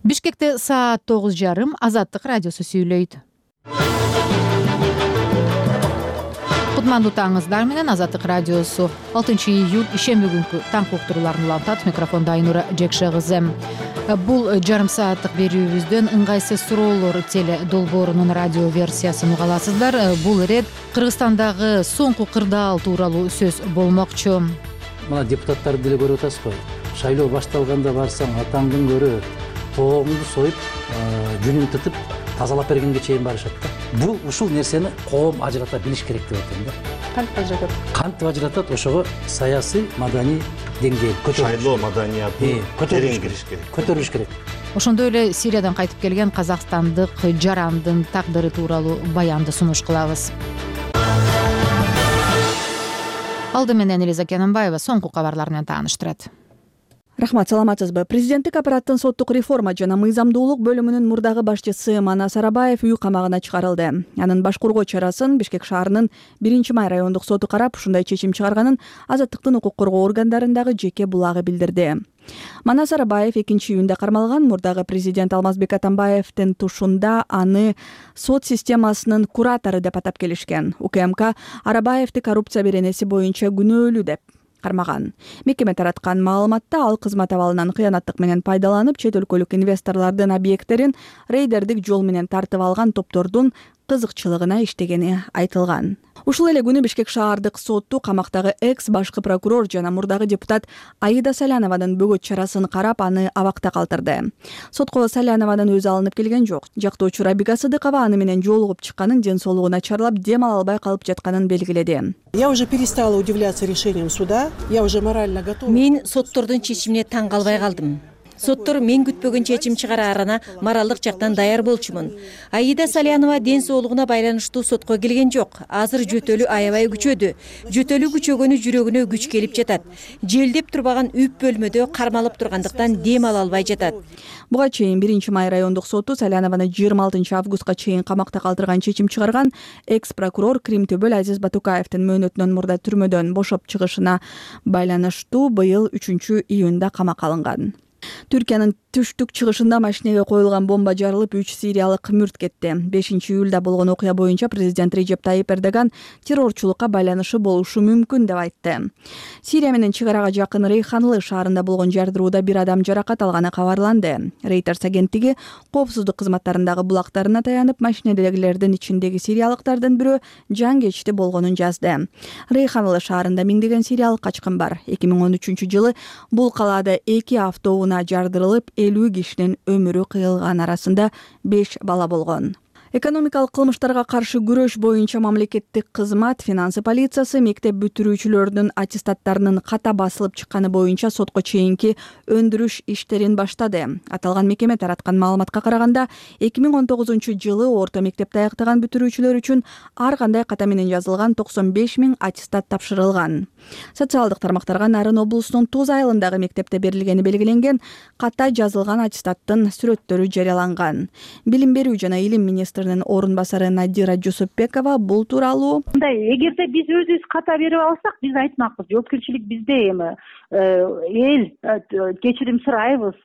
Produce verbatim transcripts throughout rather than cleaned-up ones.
Бишкекте саат тогуз жарым. Азаттык радиосу сүйлөйт. Кутмандуу таңыңыздар менен Азаттык радиосу алтынчы июль ишемби күнкү таң уктурууларын улантат. Микрофондо Айнура Жекше кызы. Бул жарым сааттык берүүбүздөн ыңгайсыз суроолор теле долбоорунун радио версиясын уга аласыздар. Бул ирет Кыргызстандагы соңку кырдаал тууралуу сөз болмокчу. Мына депутаттарды деле көрүп атасызбы? Шайлоо башталганда барсаң атаңдын көрө тоогуңду союп, жүнүн тытып тазалап бергенге чейин барышат да. Бул ушул нерсени коом ажырата билиш керек деп атам да. Кантип ажыратат? Кантип ажыратат? Ошого саясий, маданий деңгээл көтөрүлүш. Шайлоо маданиятын терең кириш керек. Көтөрүлүш керек. Ошондой эле Сириядан кайтып келген казакстандык жарандын тагдыры тууралуу баянды сунуш кылабыз. Алды менен Элиза Кененбаева соңку кабарлар менен тааныштырат. Рахмат, саламатсызбы? Президенттик аппараттын соттук реформа жана мыйзамдуулук бөлүмүнүн мурдагы башчысы Манас Арабаев үй камагына чыгарылды. Анын баш коргоо чарасын Бишкек шаарынын биринчи май райондук соту карап, ушундай чечим чыгарганын Азаттыктын укук коргоо органдарындагы жеке булагы билдирди. Манас Арабаев экинчи июнда кармалган. Мурдагы президент Алмазбек Атамбаевдин тушунда аны сот системасынын куратору деп атап келишкен. УКМК Арабаевди коррупция беренеси боюнча күнөөлүү деп кармаган. Мекеме тараткан маалыматта ал кызмат абалынан кыянаттык менен пайдаланып, чет өлкөлүк инвесторлордун объекттерин рейдердик жол менен тартып алган топтордун кызыкчылыгына иштегени айтылган. Ушул эле күнү Бишкек шаардык соту камактагы экс башкы прокурор жана мурдагы депутат Аида Салянованын бөгөт чарасын карап, аны абакта калтырды. Сотко Салянованын өзү алынып келген жок. Жактоочу Рабига Сыдыкова аны менен жолугуп чыкканын, ден соолугу начарлап, дем ала албай калып жатканын белгиледи. Я уже перестала удивляться решениям суда. Я уже морально готова. Мен соттордун чечимине таң калбай калдым. Соттор мен күтпөгөн чечим чыгараарына моралдык жактан даяр болчумун. Аида Салянова ден соолугуна байланыштуу сотко келген жок. Азыр жөтөлү аябай күчөдү. Жөтөлү күчөгөнү жүрөгүнө күч келип жатат. Желдеп турбаган үп бөлмөдө кармалып тургандыктан дем ала албай жатат. Буга чейин биринчи май райондук соту Салянованы жыйырма алтынчы августка чейин камакта калтырган чечим чыгарган. Экс прокурор Кримтөбөл Азиз Батукаевдин мөөнөтүнөн мурда түрмөдөн бошоп чыгышына байланыштуу быйыл үчүнчү июнда камакка алынган. Түркиянын түштүк чыгышында машинеге коюлган бомба жарылып, үч сириялык мүрт кетти. бешинчи июлда болгон окуя боюнча президент Режеп Тайип Эрдоган террорчулукка байланышы болушу мүмкүн деп айтты. Сирия менен чек арага жакын Рейханлы шаарында болгон жардырууда бир адам жаракат алганы кабарланды. Reuters агенттиги коопсуздук кызматтарындагы булактарына таянып, машинедегилердин ичиндеги сириялыктардын бирөө жан кечти болгонун жазды. Рейханлы шаарында миңдеген сириялык качкын бар. эки миң он үчүнчү жылы бул калаада эки автоунаа жардырылып, элүү кишинин өмүрү кыйылган, арасында беш бала болгон. Экономикалык кылмыштарга каршы күрөш боюнча мамлекеттик кызмат, финансы полициясы мектеп бүтүрүүчүлөрдүн аттестаттарынын ката басылып чыкканы боюнча сотко чейинки өндүрүш иштерин баштады. Аталган мекеме тараткан маалыматка караганда, эки миң он тогузунчу жылы орто мектепти аяктаган бүтүрүүчүлөр үчүн ар кандай ката менен жазылган токсон беш миң аттестат тапшырылган. Социалдык тармактарга Нарын облусунун Туз айылындагы мектепте берилгени белгиленген ката жазылган аттестаттын сүрөттөрү жарыяланган. Билим берүү жана илим министринин орун басары Надира Жусупбекова бул тууралуу: эгерде биз өзүбүз ката берип алсак, биз айтмакпыз, жоопкерчилик бизде. Эми эл кечирим сурайбыз.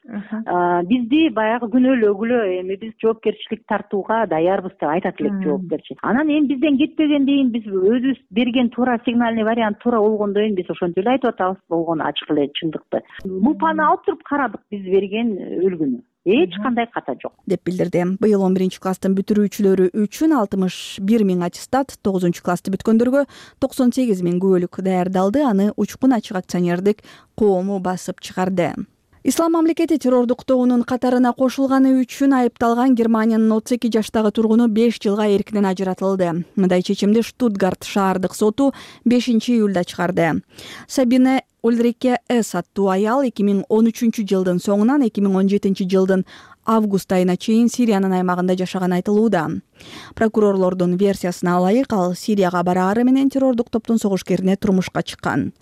Бизди баягы күнөөлөгүлө, эми биз жоопкерчилик тартууга даярбыз деп айтат элек жоопкерчи. Анан эми бизден кетпегенден кийин биз өзүбүз берген туура сигнальный вариант туура болгондон кийин биз ошентип эле айтып атабыз, болгону ачык эле чындыкты. Лупаны алып туруп карадык биз берген үлгүнү. Эч кандай ката жок деп билдирди. Быйыл он биринчи класстын бүтүрүүчүлөрү үчүн алтымыш бир миң аттестат, тогузунчу классты бүткөндөргө токсон сегиз миң күбөлүк даярдалды. Аны Учкун ачык акционердик коому басып чыгарды. Ислам мамлекети террордук тобунун катарына кошулганы үчүн айыпталган Германиянын отуз эки жаштагы тургуну беш жылга эркинен ажыратылды. Мындай чечимди Штутгарт шаардык соту бешинчи июлда чыгарды. Сабине Ульрике С аттуу аял эки миң он үчүнчү жылдын соңунан эки миң он жетинчи жылдын август айына чейин Сириянын аймагында жашаган айтылууда. Прокурорлордун версиясына ылайык, ал Сирияга бараары менен террордук топтун согушкерине турмушка чыккан.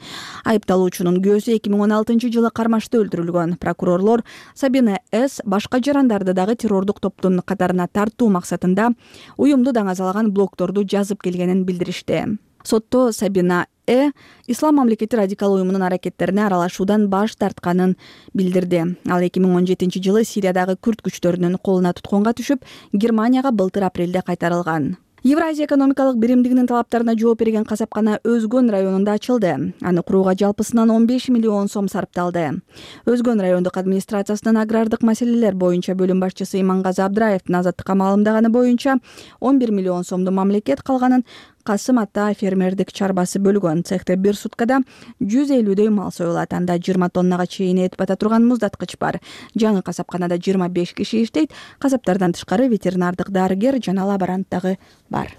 Айыпталуучунун көзү эки миң он алтынчы жылы Кармашта öldүрүлгөн. Прокурорлор Сабина С башка жарандарды дагы террордук топтун катарына тартуу максатында уюмду даңазалаган блогторду жазып келгенин билдиришти. Сотто Сабина э ислам мамлекети радикал уюмунун аракеттерине аралашуудан баш тартканын билдирди. Ал эки миң он жетинчи жылы Сириядагы күрд күчтөрүнүн колуна туткунга түшүп, Германияга былтыр апрелде кайтарылган. Евразия экономикалык биримдигинин талаптарына жооп берген касапкана Өзгөн районунда ачылды. Аны курууга жалпысынан он беш миллион сом сарпталды. Өзгөн райондук администрациясынын агрардык маселелер боюнча бөлүм башчысы Имангазы Абдыраевдин азаттыкка маалымдаганы боюнча он бир миллион сомду мамлекет, калганын Касым Ата фермердик чарбасы бөлгөн. Цехте бир суткада жүз элүүдөй мал союлат. Анда жыйырма тоннага чейин этип ата турган муздаткыч бар. Жаңы касапканада жыйырма беш киши иштейт. Касаптардан тышкары ветеринардык дарыгер жана лаборант дагы бар.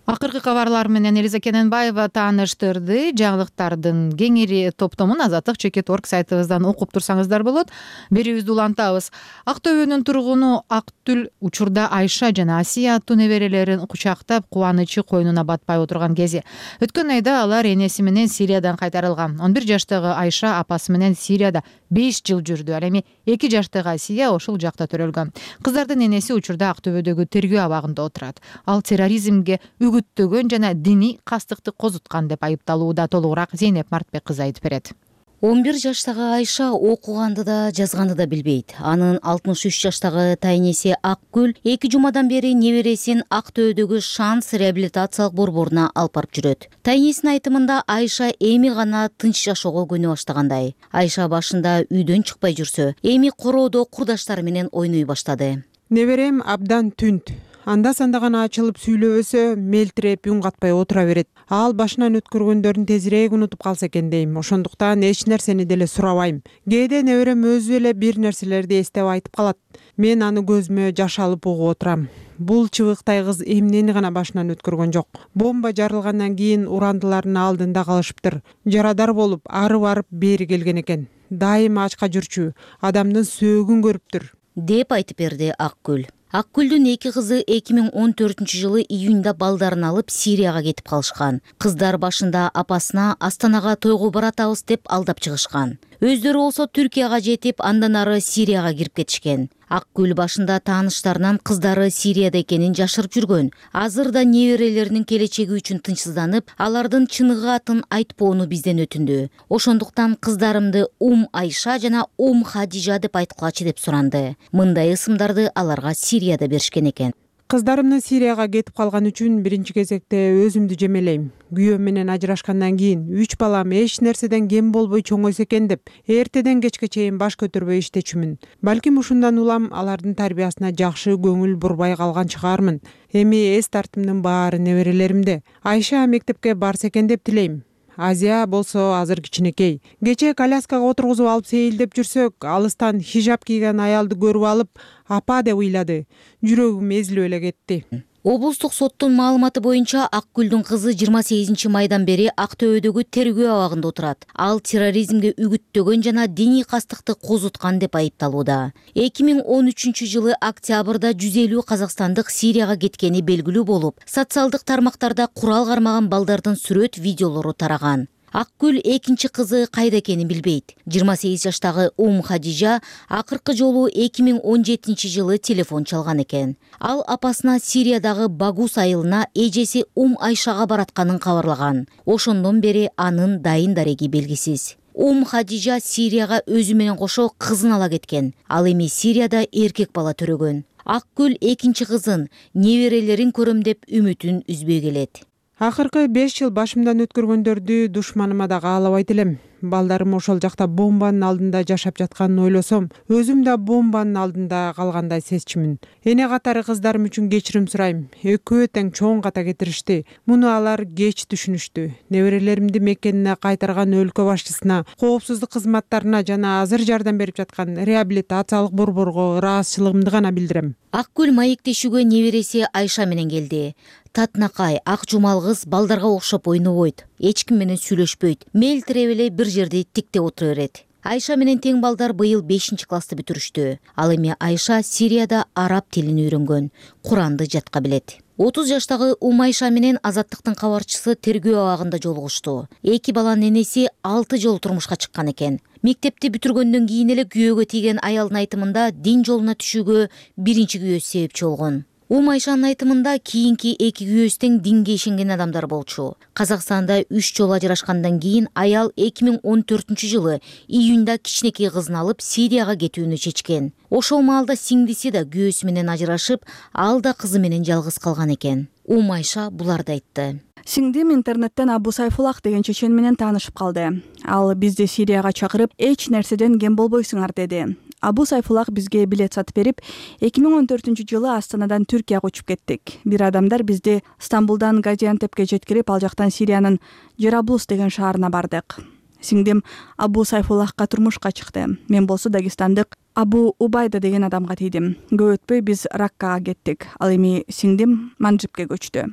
Акыркы кабарлар менен Элиза Кененбаева тааныштырды. Жаңылыктардын кеңири топтомун Азаттык чекит орг сайтыбыздан окуп турсаңыздар болот. Берүүбүздү улантабыз. Актөбөнүн тургуну Актүл учурда Айша жана Асия аттуу неберелерин кучактап, кубанычы койнуна батпай отурган кези. Өткөн айда алар энеси менен Сириядан кайтарылган. он бир жаштагы Айша апасы менен Сирияда беш жыл жүрдү. Ал эми эки жаштагы Асия ошол жакта төрөлгөн. Кыздардын энеси учурда Актөбөдөгү тергөө абагында отурат. Ал терроризмге үгүттөгөн жана диний кастыкты козуткан деп айыпталууда. Толугураак Зейнеп Мартбек кызы айтып берет. он бир жаштагы Айша окуганды да жазганды да билбейт. Анын алтымыш үч жаштагы тайнеси Акгүл эки жумадан бери небересин Актөбөдөгү Шанс реабилитациялык борборуна алып барып жүрөт. Тайнесинин айтымында Айша эми гана тынч жашоого көнө баштагандай. Айша башында үйдөн чыкпай жүрсө, эми короодо курдаштары менен ойной баштады. Неберем абдан түнт. Анда санда гана ачылып сүйлөбөсө, мелтиреп үн катпай отура берет. Ал башынан өткөргөндөрүн тезирээк унутуп калса экен дейм. Ошондуктан эч нерсени деле сурабайм. Кээде неберем өзү эле бир нерселерди эстеп айтып калат. Мен аны көзүмө жаш алып угуп отурам. Бул чыбыктай кыз эмнени гана башынан өткөргөн жок. Бомба жарылгандан кийин урандылардын алдында калышыптыр. Жарадар болуп, ары барып бери келген экен. Дайыма ачка жүрчү, адамдын сөөгүн көрүптүр, деп айтып берди Акгүл. Акгүлдүн эки кызы эки миң он төртүнчү жылы июнда балдарын алып Сирияга кетип калышкан. Кыздар башында апасына Астанага тойго баратабыз деп алдап чыгышкан. Өздөрү болсо Түркияга жетип, андан ары Сирияга кирип кетишкен. Акгүл башында тааныштарынан кыздары Сирияда экенин жашырып жүргөн. Азыр да неберелеринин келечеги үчүн тынчсызданып, алардын чыныгы атын айтпоону бизден өтүндү. Ошондуктан кыздарымды Ум Айша жана Ум Хадижа деп айткылачы деп суранды. Мындай ысымдарды аларга Сирияда беришкен экен. Кыздарымдын Сирияга кетип калган үчүн биринчи кезекте өзүмдү жемелейм. Күйөөм менен ажырашкандан кийин үч балам эч нерседен кем болбой чоңойсо экен деп, эртеден кечке чейин баш көтөрбөй иштечүмүн. Балким ушундан улам алардын тарбиясына жакшы көңүл бурбай калган чыгармын. Эми эс тартымдын баары неберелеримде. Айша мектепке барса экен деп тилейм. Азия болсо азыр кичинекей. Кечээ коляскага отургузуп алып сейилдеп жүрсөк, алыстан хижап кийген аялды көрүп алып, апа деп ыйлады. Жүрөгүм эзилип эле кетти. Облустук соттун маалыматы боюнча Акгүлдүн кызы жыйырма сегизинчи майдан бери Актөбөдөгү тергөө абагында отурат. Ал терроризмге үгүттөгөн жана диний кастыкты козуткан деп айыпталууда. эки миң он үчүнчү жылы октябрда жүз элүү казакстандык Сирияга кеткени белгилүү болуп, социалдык тармактарда курал кармаган балдардын сүрөт видеолору тараган. Акгүл экинчи кызы кайда экенин билбейт. жыйырма сегиз жаштагы Ум Хадижа акыркы жолу эки миң он жетинчи жылы телефон чалган экен. Ал апасына Сириядагы Багус айылына эжеси Ум Айшага баратканын кабарлаган. Ошондон бери анын дайын дареги белгисиз. Ум Хадижа Сирияга өзү менен кошо кызын ала кеткен. Ал эми Сирияда эркек бала төрөгөн. Акгүл экинчи кызын, неберелерин көрөм деп үмүтүн үзбөй келет. Акыркы беш жыл башымдан өткөргөндөрдү душманыма да каалабайт элем. Балдарым ошол жакта бомбанын алдында жашап жатканын ойлосом, өзүм да бомбанын алдында калгандай сезчүмүн. Эне катары кыздарым үчүн кечирим сурайм. Экөө тең чоң ката кетиришти. Муну алар кеч түшүнүштү. Неберелеримди мекенине кайтарган өлкө башчысына, коопсуздук кызматтарына жана азыр жардам берип жаткан реабилитациялык борборго ыраазычылыгымды гана билдирем. Акгүл маектешүүгө небереси Айша менен келди. Татнакай, ак жумал кыз балдарга окшоп ойнобойт. Эч ким менен сүйлөшпөйт. Мелтиреп эле бир жерде тиктеп отура берет. Айша менен тең балдар быйыл бешинчи классты бүтүрүштү. Ал эми Айша Сирияда араб тилин үйрөнгөн, Куранды жатка билет. отуз жаштагы Ум Айша менен Азаттыктын кабарчысы тергөө абагында жолугушту. Эки баланын энеси алты жолу турмушка чыккан экен. Мектепти бүтүргөндөн кийин эле күйөөгө тийген аялдын айтымында дин жолуна түшүүгө биринчи күйөөсү себепчи болгон. Умайшанын айтымында кийинки эки күйөөс тең динге ишенген адамдар болчу. Казакстанда үч жолу ажырашкандан кийин аял эки миң он төртүнчү жылы июнда кичинекей кызын алып Сирияга кетүүнү чечкен. Ошол маалда сиңдиси да күйөөсү менен ажырашып, ал да кызы менен жалгыз калган экен. Умайша буларды айтты. Сиңдим интернеттен Абу Сайфулах деген чечен менен таанышып калды. Ал бизди Сирияга чакырып, эч нерседен кем болбойсуңар деди. Абу Сайфулах бизге билет сатып берип, эки миң он төртүнчү жылы Астанадан Түркияга учуп кеттик. Бир адамдар бизди Стамбулдан Газиантепке жеткирип, ал жактан Сириянын Жараблус деген шаарына бардык. Сиңдим Абу Сайфулахка турмушка чыкты. Мен болсо Дагестандык Абу Убайда деген адамга тийдим. Көп өтпөй биз Раккага кеттик. Ал эми сиңдим Манжибке көчтү.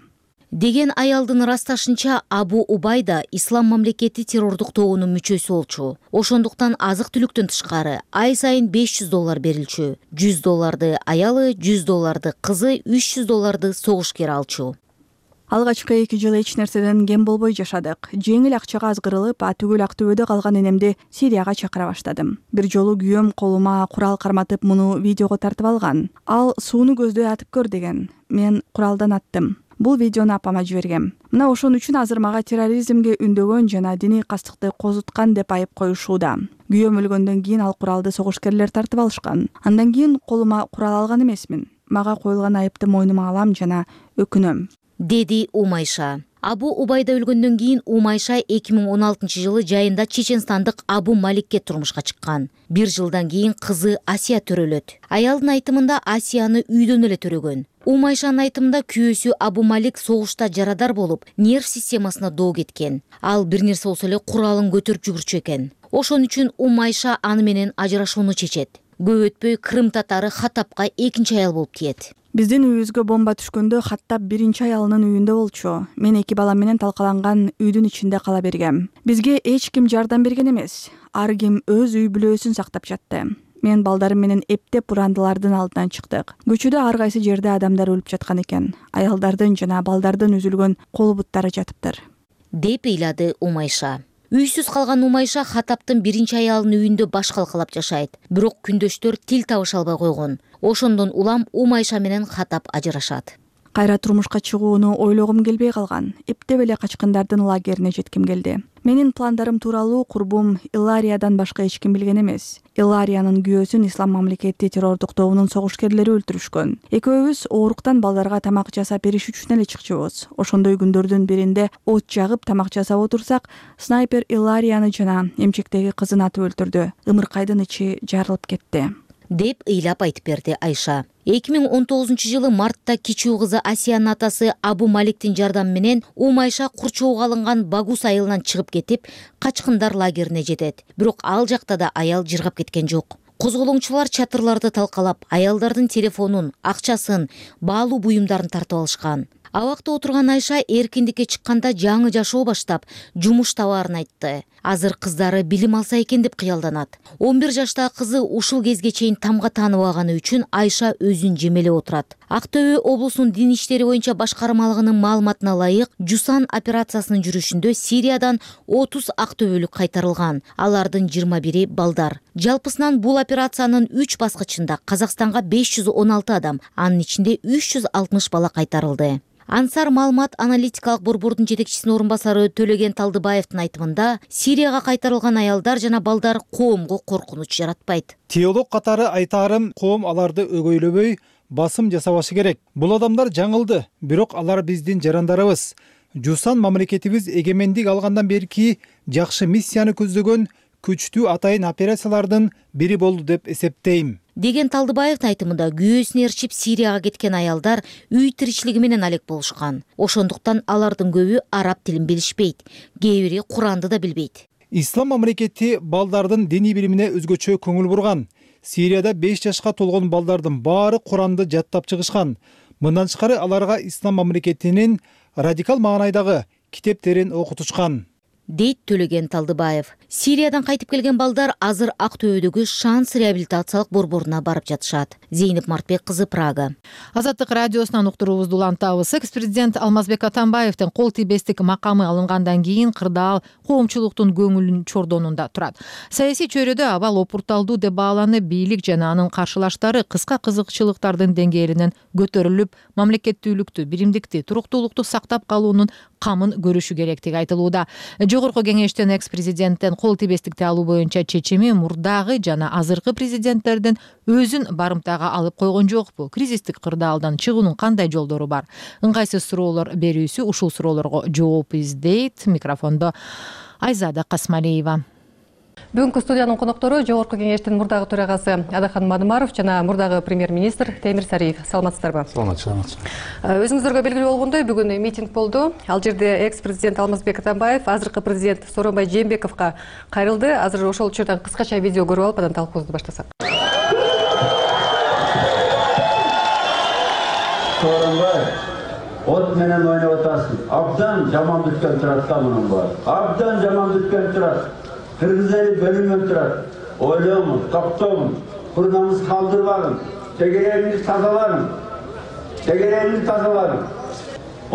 Деген аялдын ырасташынча Абу Убайда Ислам мамлекети террордук тобунун мүчөсү болчу. Ошондуктан азык-түлүктөн тышкары ай сайын беш жүз доллар берилчү. жүз долларды аялы, жүз долларды кызы, үч жүз долларды согушкер алчу. Алгачкы эки жыл эч нерседен кем болбой жашадык. Жеңил акчага азгырылып, атүгүл Актөбөдө калган энемди Сирияга чакыра баштадым. Бир жолу күйөөм колума курал карматып, муну видеого тартып алган. Ал сууну көздөй атып көр деген. Мен куралдан аттым. Бул видеону апама жибергем. Мына ошон үчүн азыр мага терроризмге үндөгөн жана диний кастыкты козуткан деп айып коюшууда. Күйөөм өлгөндөн кийин ал куралды согушкерлер тартып алышкан. Андан кийин колума курал алган эмесмин. Мага коюлган айыпты мойнума алам жана өкүнөм, деди Умайша. Абу Убайда өлгөндөн кийин Умайша эки миң он алтынчы жылы жайында чеченстандык Абу Маликке турмушка чыккан. Бир жылдан кийин кызы Асия төрөлөт. Аялдын айтымында Асияны үйдөн эле төрөгөн. Умайшанын айтымында күйөөсү Абу Малик согушта жарадар болуп, нерв системасына доо кеткен. Ал бир нерсе болсо эле куралын көтөрүп жүгүрчү экен. Ошон үчүн Умайша аны менен ажырашууну чечет. Көп өтпөй Крым татары Хаттабка экинчи аял болуп тиет. Биздин үйүбүзгө бомба түшкөндө Хаттаб биринчи аялынын үйүндө болчу. Мен эки балам менен талкаланган үйдүн ичинде кала бергем. Бизге эч ким жардам берген эмес. Ар ким өз үй бүлөсүн сактап жатты. Мен балдарым менен эптеп бурандылардын алдынан чыктык. Көчөдө ар кайсы жерде адамдар өлүп жаткан экен. Аялдардын жана балдардын үзүлгөн кол буттары жатыптыр, деп ыйлады Умайша. Үйсүз калган Умайша Хаттабтын биринчи аялынын үйүндө баш калкалап жашайт. Бирок күндөштөр тил табыша албай койгон. Ошондон улам Умайша менен Хаттаб ажырашат. Кайра турмушка чыгууну ойлогум келбей калган. Эптеп эле качкындардын лагерине жетким келди. Менин пландарым тууралуу курбум Илариядан башка эч ким билген эмес. Илариянын күйөөсүн Ислам мамлекети террордук тобунун согушкерлери өлтүрүшкөн. Экөөбүз ооруктан балдарга тамак жасап бериш үчүн эле чыкчубуз. Ошондой күндөрдүн биринде от жагып тамак жасап отурсак, снайпер Иларияны жана эмчектеги кызын атып өлтүрдү. Ымыркайдын ичи жарылып кетти, деп ыйлап айтып берди Айша. эки миң он тогузунчу жылы мартта кичүү кызы Асиянын атасы Абу Маликтин жардамы менен Умайша курчоого алынган Багус айылынан чыгып кетип, качкындар лагерине жетет. Бирок ал жакта да аял жыргап кеткен жок. Козголоңчулар чатырларды талкалап, аялдардын телефонун, акчасын, баалуу буюмдарын тартып алышкан. Абакта отурган Айша эркиндикке чыкканда жаңы жашоо баштап, жумуш табаарын айтты. Азыр кыздары билим алса экен деп кыялданат. он бир жаштагы кызы ушул кезге чейин тамга тааныбаганы үчүн Айша өзүн жемелеп отурат. Актөбө облусунун дин иштери боюнча башкармалыгынын маалыматына ылайык, Жусан операциясынын жүрүшүндө Сириядан отуз актөбөлүк кайтарылган. Алардын жыйырма бири балдар. Жалпысынан бул операциянын үч баскычында Казакстанга беш жүз он алты адам, анын ичинде үч жүз алтымыш бала кайтарылды. Ансар маалымат аналитикалык борбордун жетекчисинин орун басары Төлеген Талдыбаевдин айтымында, Сирияга кайтарылган аялдар жана балдар коомго коркунуч жаратпайт. Теолог катары айтаарым, коом аларды өгөйлөбөй, басым жасабашы керек. Бул адамдар жаңылды, бирок алар биздин жарандарыбыз. Жусан мамлекетибиз эгемендик алгандан берки жакшы миссияны көздөгөн күчтүү атайын операциялардын бири болду деп эсептейм, деген Талдыбаевдин айтымында күйөөсүн ээрчип Сирияга кеткен аялдар үй тиричилиги менен алек болушкан. Ошондуктан алардын көбү араб тилин билишпейт, кээ бири Куранды да билбейт. Ислам мамлекети балдардын диний билимине өзгөчө көңүл бурган. Сирияда беш жашка толгон балдардын баары Куранды жаттап чыгышкан. Мындан тышкары аларга Ислам мамлекетинин радикал маанайдагы китептерин окутушкан. дейт Төлеген Талдыбаев. Сириядан кайтып келген балдар азыр Ак Төбөдөгү Шанс реабилитациялык борборуна барып жатышат. Зейнеп Мартбек кызы, Прага. Азаттык радиосунан уктуруубузду улантабыз. Экс-президент Алмазбек Атамбаевдин кол тийбестик макамы алынгандан кийин кырдаал коомчулуктун көңүлүн чордонунда турат. Саясий чөйрөдө абал опурталдуу деп бааланып, бийлик жана анын каршылаштары кыска кызыкчылыктардын деңгээлинен көтөрүлүп, мамлекеттүүлүктү, биримдикти, туруктуулукту сактап калуунун камын көрүшү керектиги айтылууда. Жогорку кеңештин экс-президенттен кол тийбестикти алуу боюнча чечими мурдагы жана азыркы президенттердин өзүн барымтага алып койгон жокпу? Кризистик кырдаалдан чыгуунун кандай жолдору бар? Ыңгайсыз суроолор берүүсү ушул суроолорго жооп издейт. Микрофондо Айзада Касмалиева. Бүгүнкү студиянын коноктору Жогорку кеңештин мурдагы төрагасы Адахан Мадымаров жана мурдагы премьер-министр Темир Сариев. Саламатсыздарбы? Саламатчы. Өзүңүздөргө белгилүү болгондой, бүгүн митинг болду. Ал жерде экс-президент Алмазбек Атамбаев азыркы президент Сооронбай Жээнбековго кайрылды. Азыр ошол учурдан кыскача видео көрүп алып, анан талкуубузду баштасак. Сооронбай, от менен ойноп атасың. Абдан жаман бүткөн турат да мунун баары. Абдан жаман бүткөн турат. Кыргыз эли бөлүнүп турат. Ойлоңуз, токтоңуз, курнаңыз калдырбагын, тегерегиңизди тазалагын. Тегерегиңизди тазалагын.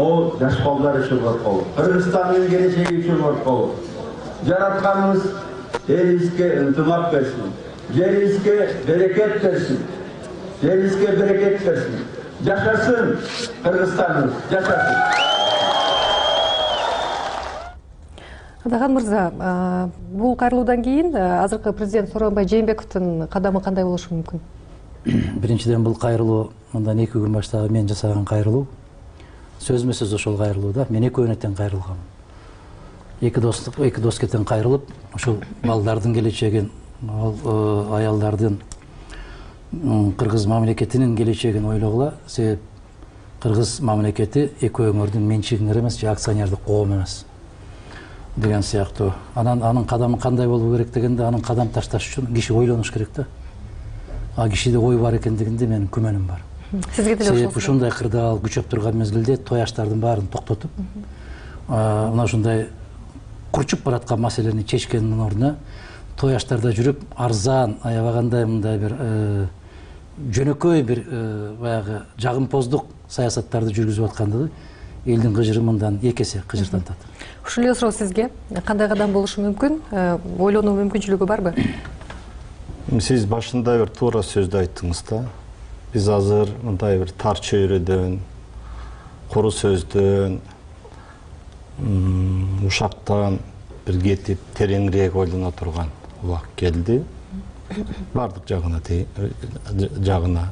О, жаш балдар үчүн корколу. Кыргызстандын келечеги үчүн корколу. Жаратканыбыз элибизге ынтымак берсин. Жерибизге берекет берсин. Жерибизге берекет берсин. Жашасын Кыргызстаныбыз, жашасын. Адахан мырза, бул кайрылуудан кийин азыркы президент Сооронбай Жээнбековдун кадамы кандай болушу мүмкүн? Биринчиден, бул кайрылуу мындан эки күн баштагы мен жасаган кайрылуу. Сөзмө сөз ошол кайрылууда мен экөөнө тең кайрылгам. Эки достук, эки дос кетен кайрылып, ошол балдардын келечегин, аялдардын, кыргыз мамлекетинин келечегин ойлогула. Себеп кыргыз мамлекети экөөңөрдүн менчигиңер эмес, же акционердик коом эмес деген сыяктуу. Анан анын кадамы кандай болуу керек дегенде, анын кадам ташташ үчүн киши ойлонуш керек да. А кишиде ой бар экендигинде менин күмөнүм бар. Сизге деле ошол. Себеп ушундай кырдаал күчөп турган мезгилде той аштардын баарын токтотуп, мына ушундай курчуп бараткан маселени чечкендин ордуна той аштарда жүрүп, арзан, аябагандай мындай бир жөнөкөй бир баягы жагымпоздук саясаттарды жүргүзүп аткандыгы элдин кыжыры мындан эки эсе кыжыртантат. Ушул эле суроо сизге кандай кадам болушу мүмкүн? Ойлонуу мүмкүнчүлүгү барбы? Сиз башында бир туура сөздү айттыңыз да. Биз азыр мындай бир тар чөйрөдөн, куру сөздөн, ушактан бир кетип, тереңирээк ойлоно турган убакыт келди. Бардык жагына жагына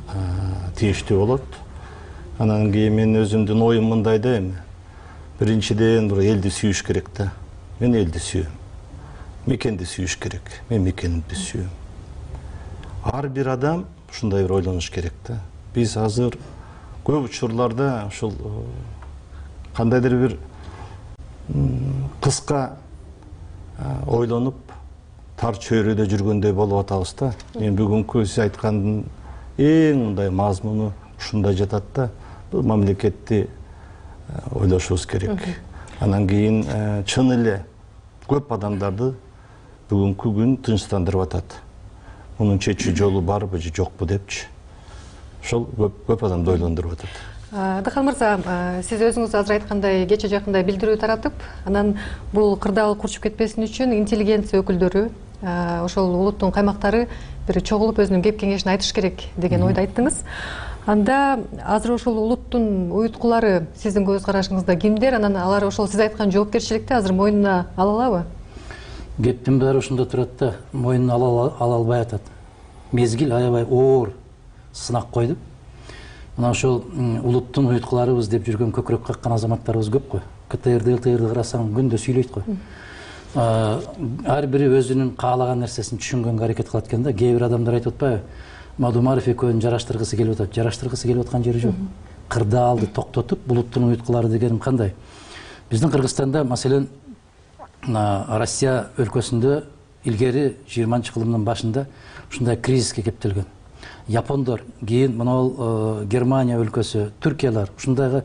тийиштүү болот. Анан кийин мен өзүмдүн оюм мындай да эми. Биринчиден бир элди сүйүш керек да. Мен элди сүйөм. Мекенди сүйүш керек. Мен мекенимди сүйөм. Ар бир адам ушундай бир ойлонуш керек да. Биз азыр көп учурларда ушул кандайдыр бир кыска ойлонуп, тар чөйрөдө жүргөндөй болуп атабыз да. Мен бүгүнкү сиз айткандын эң мындай мазмуну ушундай жатат да. Бул мамлекетти ойлошубуз керек. Анан кийин чын эле көп адамдарды бүгүнкү күн тынчтандырып атат. Мунун чечүү жолу барбы же жокпу депчи. Ошол көп адамды ойлондуруп атат. Адахан мырза, сиз өзүңүз азыр айткандай кече жакында билдирүү таратып, анан бул кырдаал курчуп кетпесин үчүн интеллигенция өкүлдөрү, ошол улуттун каймактары бир чогулуп өзүнүн кеп кеңешин айтыш керек деген ойду айттыңыз. Анда азыр ошол улуттун уюткулары сиздин көз карашыңызда кимдер? Анан алар ошол сиз айткан жоопкерчиликти азыр мойнуна ала алабы? Кептин баары ошондо турат да, мойнуна ала албай атат. Мезгил аябай оор сынак койду. Мына ошол улуттун уюткуларыбыз деп жүргөн көкүрөк каккан азаматтарыбыз көп кой. КТРди, ЛТРди карасаң күндө сүйлөйт кой. Ар бири өзүнүн каалаган нерсесин түшүнгөнгө аракет кылат экен да. Кээ бир адамдар айтып атпайбы? Мадумаров экөөнүн жараштыргысы келип атат. Жараштыргысы келип аткан жери жок. Кырдаалды токтотуп, улуттун уюткулары дегеним кандай? Биздин Кыргызстанда, маселен, Россия өлкөсүндө илгери жыйырманчы кылымдын башында ушундай кризиске кептелген. Япондор, кийин мына Германия өлкөсү, Түркиялар ушундайга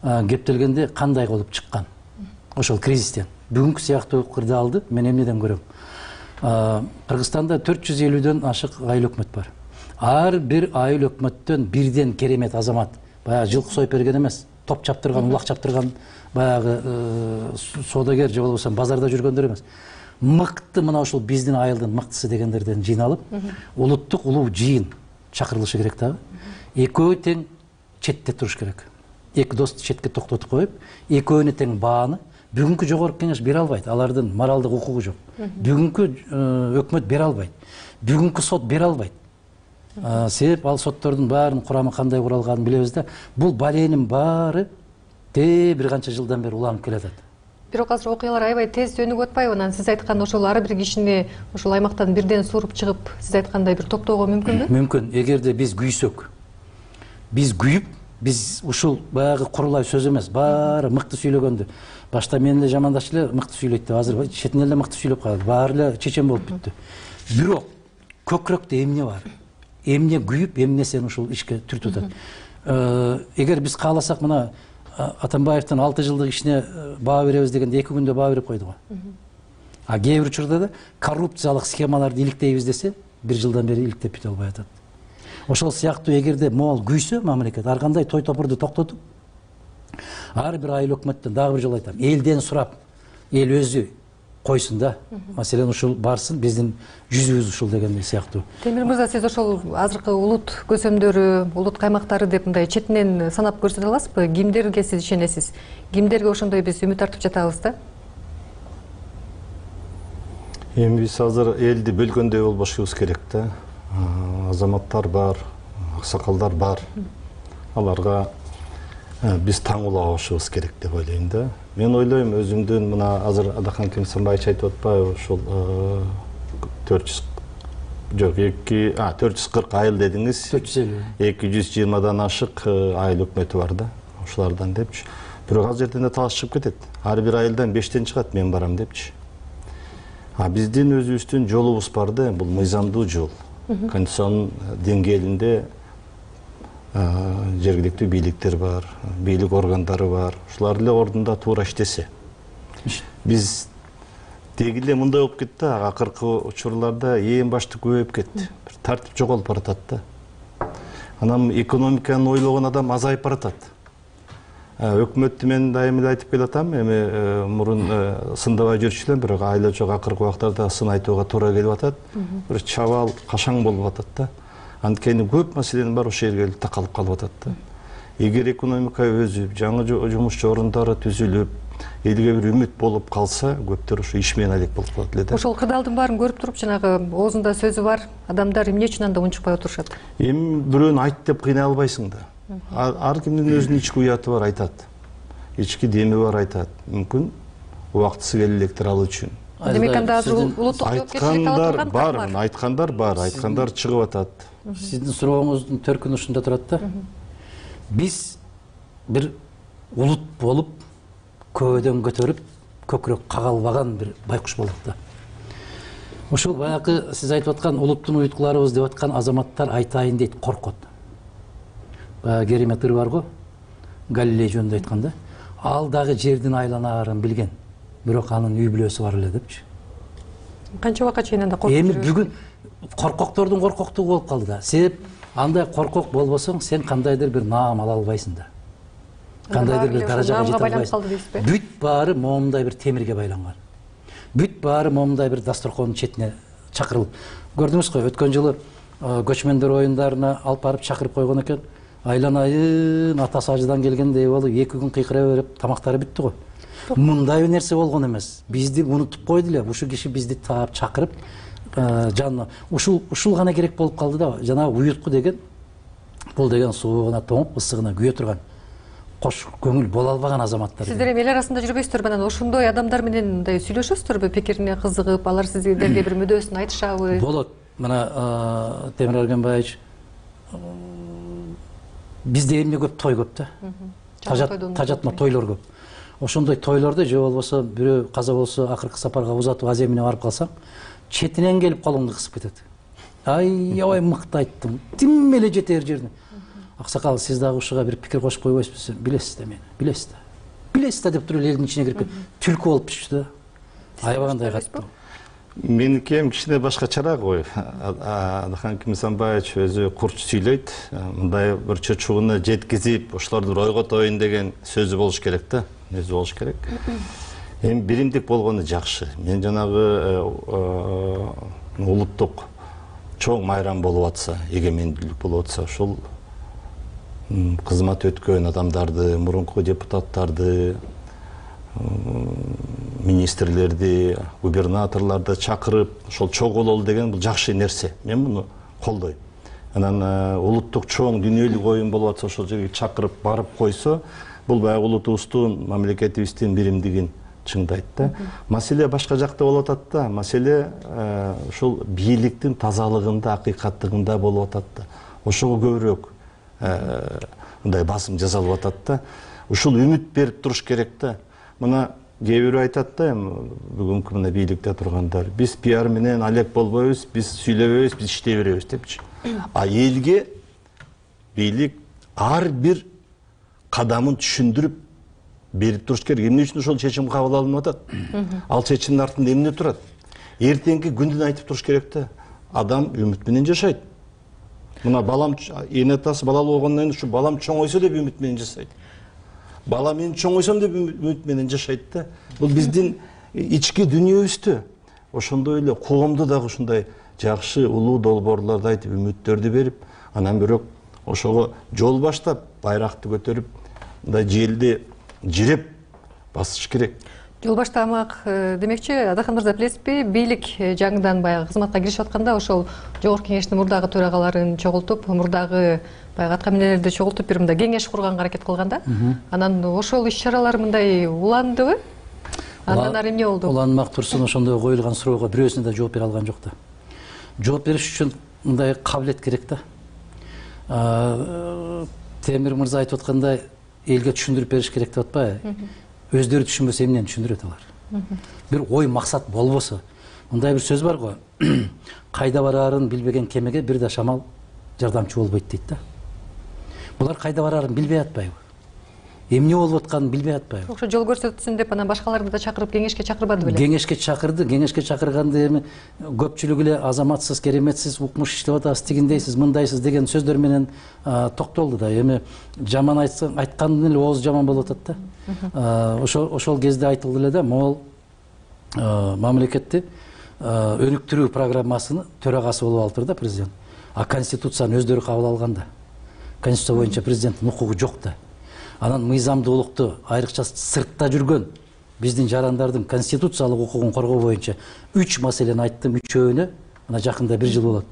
кептелгенде кандай болуп чыккан? Ошол кризистен. бүгүнкү сыяктуу кырдаалды мен эмнеден көрөм? Кыргызстанда төрт жүз элүүдөн ашык айыл өкмөт бар. Ар бир айыл өкмөттөн бирден керемет азамат, баягы жылкы союп берген эмес, топ чаптырган, улак чаптырган баягы соодагер же болбосо базарда жүргөндөр эмес. Мыкты мына ушул биздин айылдын мыктысы дегендерден жыйналып, улуттук улуу жыйын чакырылышы керек дагы. Экөө тең четте туруш керек. Эки досту четке токтотуп коюп, экөөнү тең бааны бүгүнкү жогорку кеңеш бере албайт. Алардын моралдык укугу жок. Бүгүнкү өкмөт бере албайт. Бүгүнкү сот бере албайт. Себеп ал соттордун баарынын курамы кандай куралганын билебиз да. Бул баленин баары те бир канча жылдан бери уланып келатат. Бирок азыр окуялар аябай тез өнүгүп атпайбы? Анан сиз айткан ошол ар бир кишини ошол аймактан бирден сууруп чыгып, сиз айткандай бир топтоого мүмкүнбү? Мүмкүн. Эгерде биз күйсөк, биз күйүп, биз ушул баягы курулай сөз эмес, баары мыкты сүйлөгөндү. Башта мен эле жамандашчу эле мыкты сүйлөйт деп, азыр четин эле мыкты сүйлөп калды. Баары эле чечен болуп бүттү. Бирок көкүрөктө эмне бар? Эмне күйүп, эмне сен ушул ишке түртүп атат. Эгер биз кааласак, мына Атамбаевдин алты жылдык ишине баа беребиз дегенде эки күндө баа берип койду го. А кээ бир учурда да коррупциялык схемаларды иликтейбиз десе, бир жылдан бери иликтеп бүтө албай атат. Ошол сыяктуу эгерде могул күйсө мамлекет, ар кандай той топурду токтотуп, ар бир айыл өкмөттөн дагы бир жолу айтам, элден сурап, эл өзү койсун да. Маселен ушул барсын, биздин жүзүбүз ушул дегендей сыяктуу. Темир мырза, сиз ошол азыркы улут көсөмдөрү, улут каймактары деп мындай четинен санап көрсөтө аласызбы? Кимдерге сиз ишенесиз? Кимдерге ошондой биз үмүт артып жатабыз да? Эми биз азыр элди бөлгөндөй болбошубуз керек да. Азаматтар бар, аксакалдар бар. Аларга биз таң улабышыбыз керек деп ойлойм да. Мен ойлойм, өзүмдүн мына азыр Адахан Кемсанбаевич айтып атпайбы, ошол төрт жүз жок эки а төрт жүз кырк айыл дедиңиз. төрт жүз элүү. эки жүз жыйырмадан ашык айыл өкмөтү бар да. Ошолардан депчи. Бирок ал жерден да талаш чыгып кетет. Ар бир айылдан бештен чыгат, мен барам депчи. А биздин өзүбүздүн жолубуз бар да, бул мыйзамдуу жол. Конституциянын деңгээлинде жергиликтүү бийликтер бар, бийлик органдары бар. Ушулар эле ордунда туура иштесе. Биз деги эле мындай болуп кетти, акыркы учурларда эң башты көбөйүп кетти. Бир тартип жоголуп баратат да. Анан экономиканы ойлогон адам азайып баратат. Өкмөттү мен дайым эле айтып келатам, эми мурун сындабай жүрчү элем, бирок айла жок акыркы убактарда сын айтууга туура келип атат. Бир чабал, кашаң болуп атат да. Анткени көп маселенин бар ошол жерге такалып калып атат да. Эгер экономика өзүп, жаңы жумуш орундары түзүлүп, элге бир үмүт болуп калса, көптөр ошо иш менен алек болуп калат эле да. Ошол кырдаалдын баарын көрүп туруп, жанагы оозунда сөзү бар адамдар эмне үчүн анда унчукпай отурушат? Эми бирөөнү айт деп кыйнай албайсың да. Ар кимдин өзүнүн ички уяты бар, айтат. Ички деми бар, айтат. Мүмкүн убактысы келе электир ал үчүн. Демек анда азыр улуттук жоопкерчилик ала турган бар, айткандар бар, айткандар чыгып атат. Сиздин сурооңуздун төркүнү ушунда турат да. Биз бир улут болуп, көбөдөн көтөрүп, көкүрөк кагалбаган бир байкуш болдук да. Ушул баягы сиз айтып аткан улуттун уйткуларыбыз деп аткан азаматтар айтайын дейт, коркот. Баягы керемет ыр бар го, Галилей жөнүндө айтканда, ал дагы жердин айланаарын билген, бирок анын үй бүлөсү бар эле депчи. Канча убакка чейин анда коркуп жүрөбүз? Эми бүгүн коркоктордун коркоктугу болуп калды да. Себеп андай коркок болбосоң, сен кандайдыр бир наам ала албайсың да. Кандайдыр бир даражага жете албайсың. Бүт баары момундай бир темирге байланган. Бүт баары момундай бир дасторкондун четине чакырылып. Көрдүңүз го, өткөн жылы көчмөндөр оюндарына алып барып чакырып койгон экен. Айланайын атасы ажыдан келгендей болуп, эки күн кыйкыра берип, тамактары бүттү го. Мындай бир нерсе болгон эмес. Бизди унутуп койду эле. Ушул киши бизди таап чакырып, жанына ушул ушул гана керек болуп калды да. Жанагы уютку деген, бул деген суугуна тоңуп, ысыгына күйө турган, кош көңүл боло албаган азаматтар. Сиздер эми эл арасында жүрбөйсүздөр, анан ошондой адамдар менен мындай сүйлөшөсүздөрбү, пикирине кызыгып, алар сиздерге бир мүдөөсүн айтышабы? Болот. Мына Темир Эргенбаевич, бизде эмне көп, той көп да. Тажатма тойлор көп. Ошондой тойлордо же болбосо бирөө каза болсо, акыркы сапарга узатуу аз эмине барып калсаң, четинен келип колуңду кысып кетет. Ай, аябай мыкты айттың, тим эле жетер жерине. Аксакал, сиз дагы ушуга бир пикир кошуп койбойсузбу? Билесиз да мени, билесиз да. билесиз да деп туруп эле элдин ичине кирип түлкү болуп түштү да. Аябагандай катты. Меники эми кичине башкачараак ой. Адахан Кимсанбаевич өзү курч сүйлөйт. Мындай бир чочугуна жеткизип, ошолорду ойготоюн деген сөзү болуш керек да. Өзү болуш керек. Эми биримдик болгону жакшы. Мен жанагы улуттук чоң майрам болуп атса, эгемендүүлүк болуп атса, ошол кызмат өткөн адамдарды, мурунку депутаттарды, министрлерди, губернаторлорду чакырып, ошол чогулолу деген бул жакшы нерсе. Мен муну колдойм. Анан улуттук чоң дүйнөлүк оюн болуп атса, ошол жерге чакырып барып койсо, бул баягы улутубуздун, мамлекетибиздин биримдигин чыңдайт да. Маселе башка жакта болуп атат да. Маселе ушул бийликтин тазалыгында, акыйкаттыгында болуп атат да. Ошого көбүрөөк мындай басым жасалып атат да. Ушул үмүт берип туруш керек да. Мына кээ бирөө айтат да, бүгүнкү мына бийликте тургандар, биз пиар менен алек болбойбуз, биз сүйлөбөйбүз, биз иштей беребиз депчи. А элге бийлик ар бир кадамын түшүндүрүп берип туруш керек. Эмне үчүн ошол чечим кабыл алынып атат? Ал чечимдин артында эмне турат? Эртеңки күндүн айтып туруш керек да. Адам үмүт менен жашайт. Мына балам, эне атасы балалуу болгондон кийин ушу балам чоңойсо деп үмүт менен жашайт. Бала мен чоңойсом деп үмүт менен жашайт да. Бул биздин ички дүйнөбүздө. Ошондой эле коомду дагы ушундай жакшы улуу долбоорлорду айтып, үмүттөрдү берип, анан бирок ошого жол баштап, байракты көтөрүп, мындай желди жиреп басыш керек. Жол баштамак демекчи, Адахан мырза, билесизби, бийлик жаңыдан баягы кызматка киришип атканда ошол жогорку кеңештин мурдагы төрагаларын чогултуп, мурдагы баягы аткаминерлерди чогултуп бир мындай кеңеш курганга аракет кылган да. Анан ошол иш-чаралар мындай уландыбы? Андан ары эмне болду? Уланмак турсун, ошондой коюлган суроого бирөөсүнө да жооп бере алган жок да. Жооп бериш үчүн мындай кабилет керек да. Темир мырза айтып аткандай, элге түшүндүрүп бериш керек деп атпайбы? Өздөрү түшүнбөсө эмнени түшүндүрөт алар? Бир ой максат болбосо, мындай бир сөз бар го. Кайда бараарын билбеген кемеге бир да шамал жардамчы болбойт дейт да. Булар кайда бараарын билбей атпайбы? Эмне болуп атканын билбей атпайбы? Ошо жол көрсөтсүн деп анан башкаларды да чакырып кеңешке чакырбады беле? Кеңешке чакырды, кеңешке чакырганды эми көпчүлүгү эле азаматсыз, кереметсиз, укмуш иштеп атасыз, тигиндейсиз, мындайсыз деген сөздөр менен токтолду да. Эми жаман айтсаң, айткандын эле ооз жаман болуп атат да. Ошол ошол кезде айтылды эле да, могул мамлекетти өнүктүрүү программасынын төрагасы болуп алыптыр да президент. А конституцияны өздөрү кабыл алганда. Конституция боюнча президенттин укугу жок да. Анан мыйзамдуулукту айрыкча сыртта жүргөн биздин жарандардын конституциялык укугун коргоо боюнча үч маселени айттым, үчөөнө мына жакында бир жыл болот.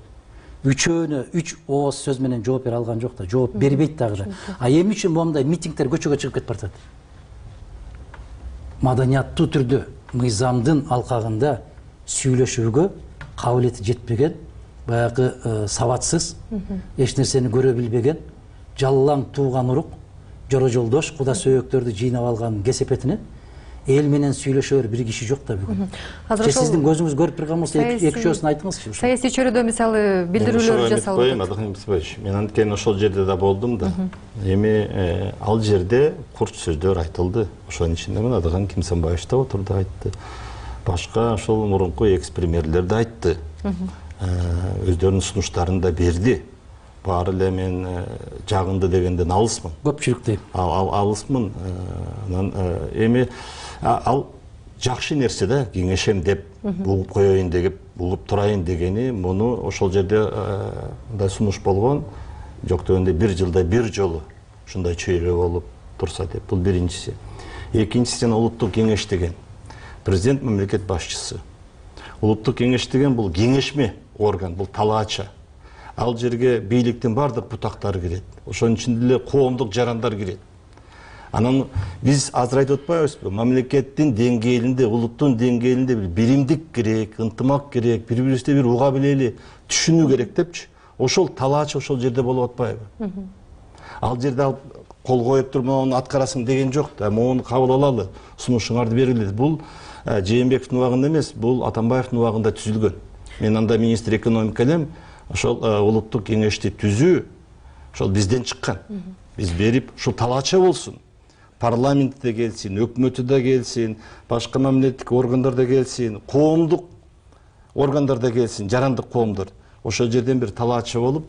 Үчөөнө үч ооз сөз менен жооп бере алган жок да, жооп бербейт дагы да. А эмне үчүн моундай митингдер көчөгө чыгып кетип баратат? Маданияттуу түрдө мыйзамдын алкагында сүйлөшүүгө кабилети жетпеген, баягы сабатсыз, эч нерсени көрө билбеген, жаллаң тууган урук, жора жолдош, куда сөөктөрдү жыйнап алган кесепетине эл менен сүйлөшөр бир киши жок да бүгүн. Же сиздин көзүңүз көрүп турган болсо эки үчөөсүн айтыңызчы. Саясий чөйрөдө мисалы билдирүүлөр жасалып атат. Мен анткени ошол жерде да болдум да. Эми ал жерде курч сөздөр айтылды. Ошонун ичинде мен Адахан Кимсанбаевич да отурду, айтты. Башка ошол мурунку экс-премьерлер да айтты. Өздөрүнүн сунуштарын да берди. Баары эле мен жагынды дегенден алысмын. Көпчүлүк дейм. Алысмын. Анан эми ал жакшы нерсе да, кеңешем деп, угуп коеюн деп, угуп турайын дегени, муну ошол жерде мындай сунуш болгон. Жок дегенде бир жылда бир жолу ушундай чөйрө болуп турса деп. Бул биринчиси. Экинчиси улуттук кеңеш деген. Президент мамлекет башчысы. Улуттук кеңеш деген бул кеңешме орган, бул талаача. Ал жерге бийликтин бардык бутактары кирет. Ошонун ичинде эле коомдук жарандар кирет. Анан биз азыр айтып атпайбызбы? Мамлекеттин деңгээлинде, улуттун деңгээлинде бир биримдик керек, ынтымак керек, бири-бирибизди бир уга билели, түшүнүү керек депчи. Ошол талаачы ошол жерде болуп атпайбы? Ал жерде ал кол коюп туруп мону аткарасың деген жок да. Мону кабыл алалы, сунушуңарды бергиле. Бул Жээнбековдун убагында эмес, бул Атамбаевдин убагында түзүлгөн. Мен анда министр экономика элем. Ошол улуттук кеңешти түзүү ошол бизден чыккан. Биз берип, ушул талаача болсун. парламентте келсин, өкмөтү да келсин, башка мамлекеттик органдар да келсин, коомдук органдар да келсин, жарандык коомдор ошол жерден бир талаачы болуп,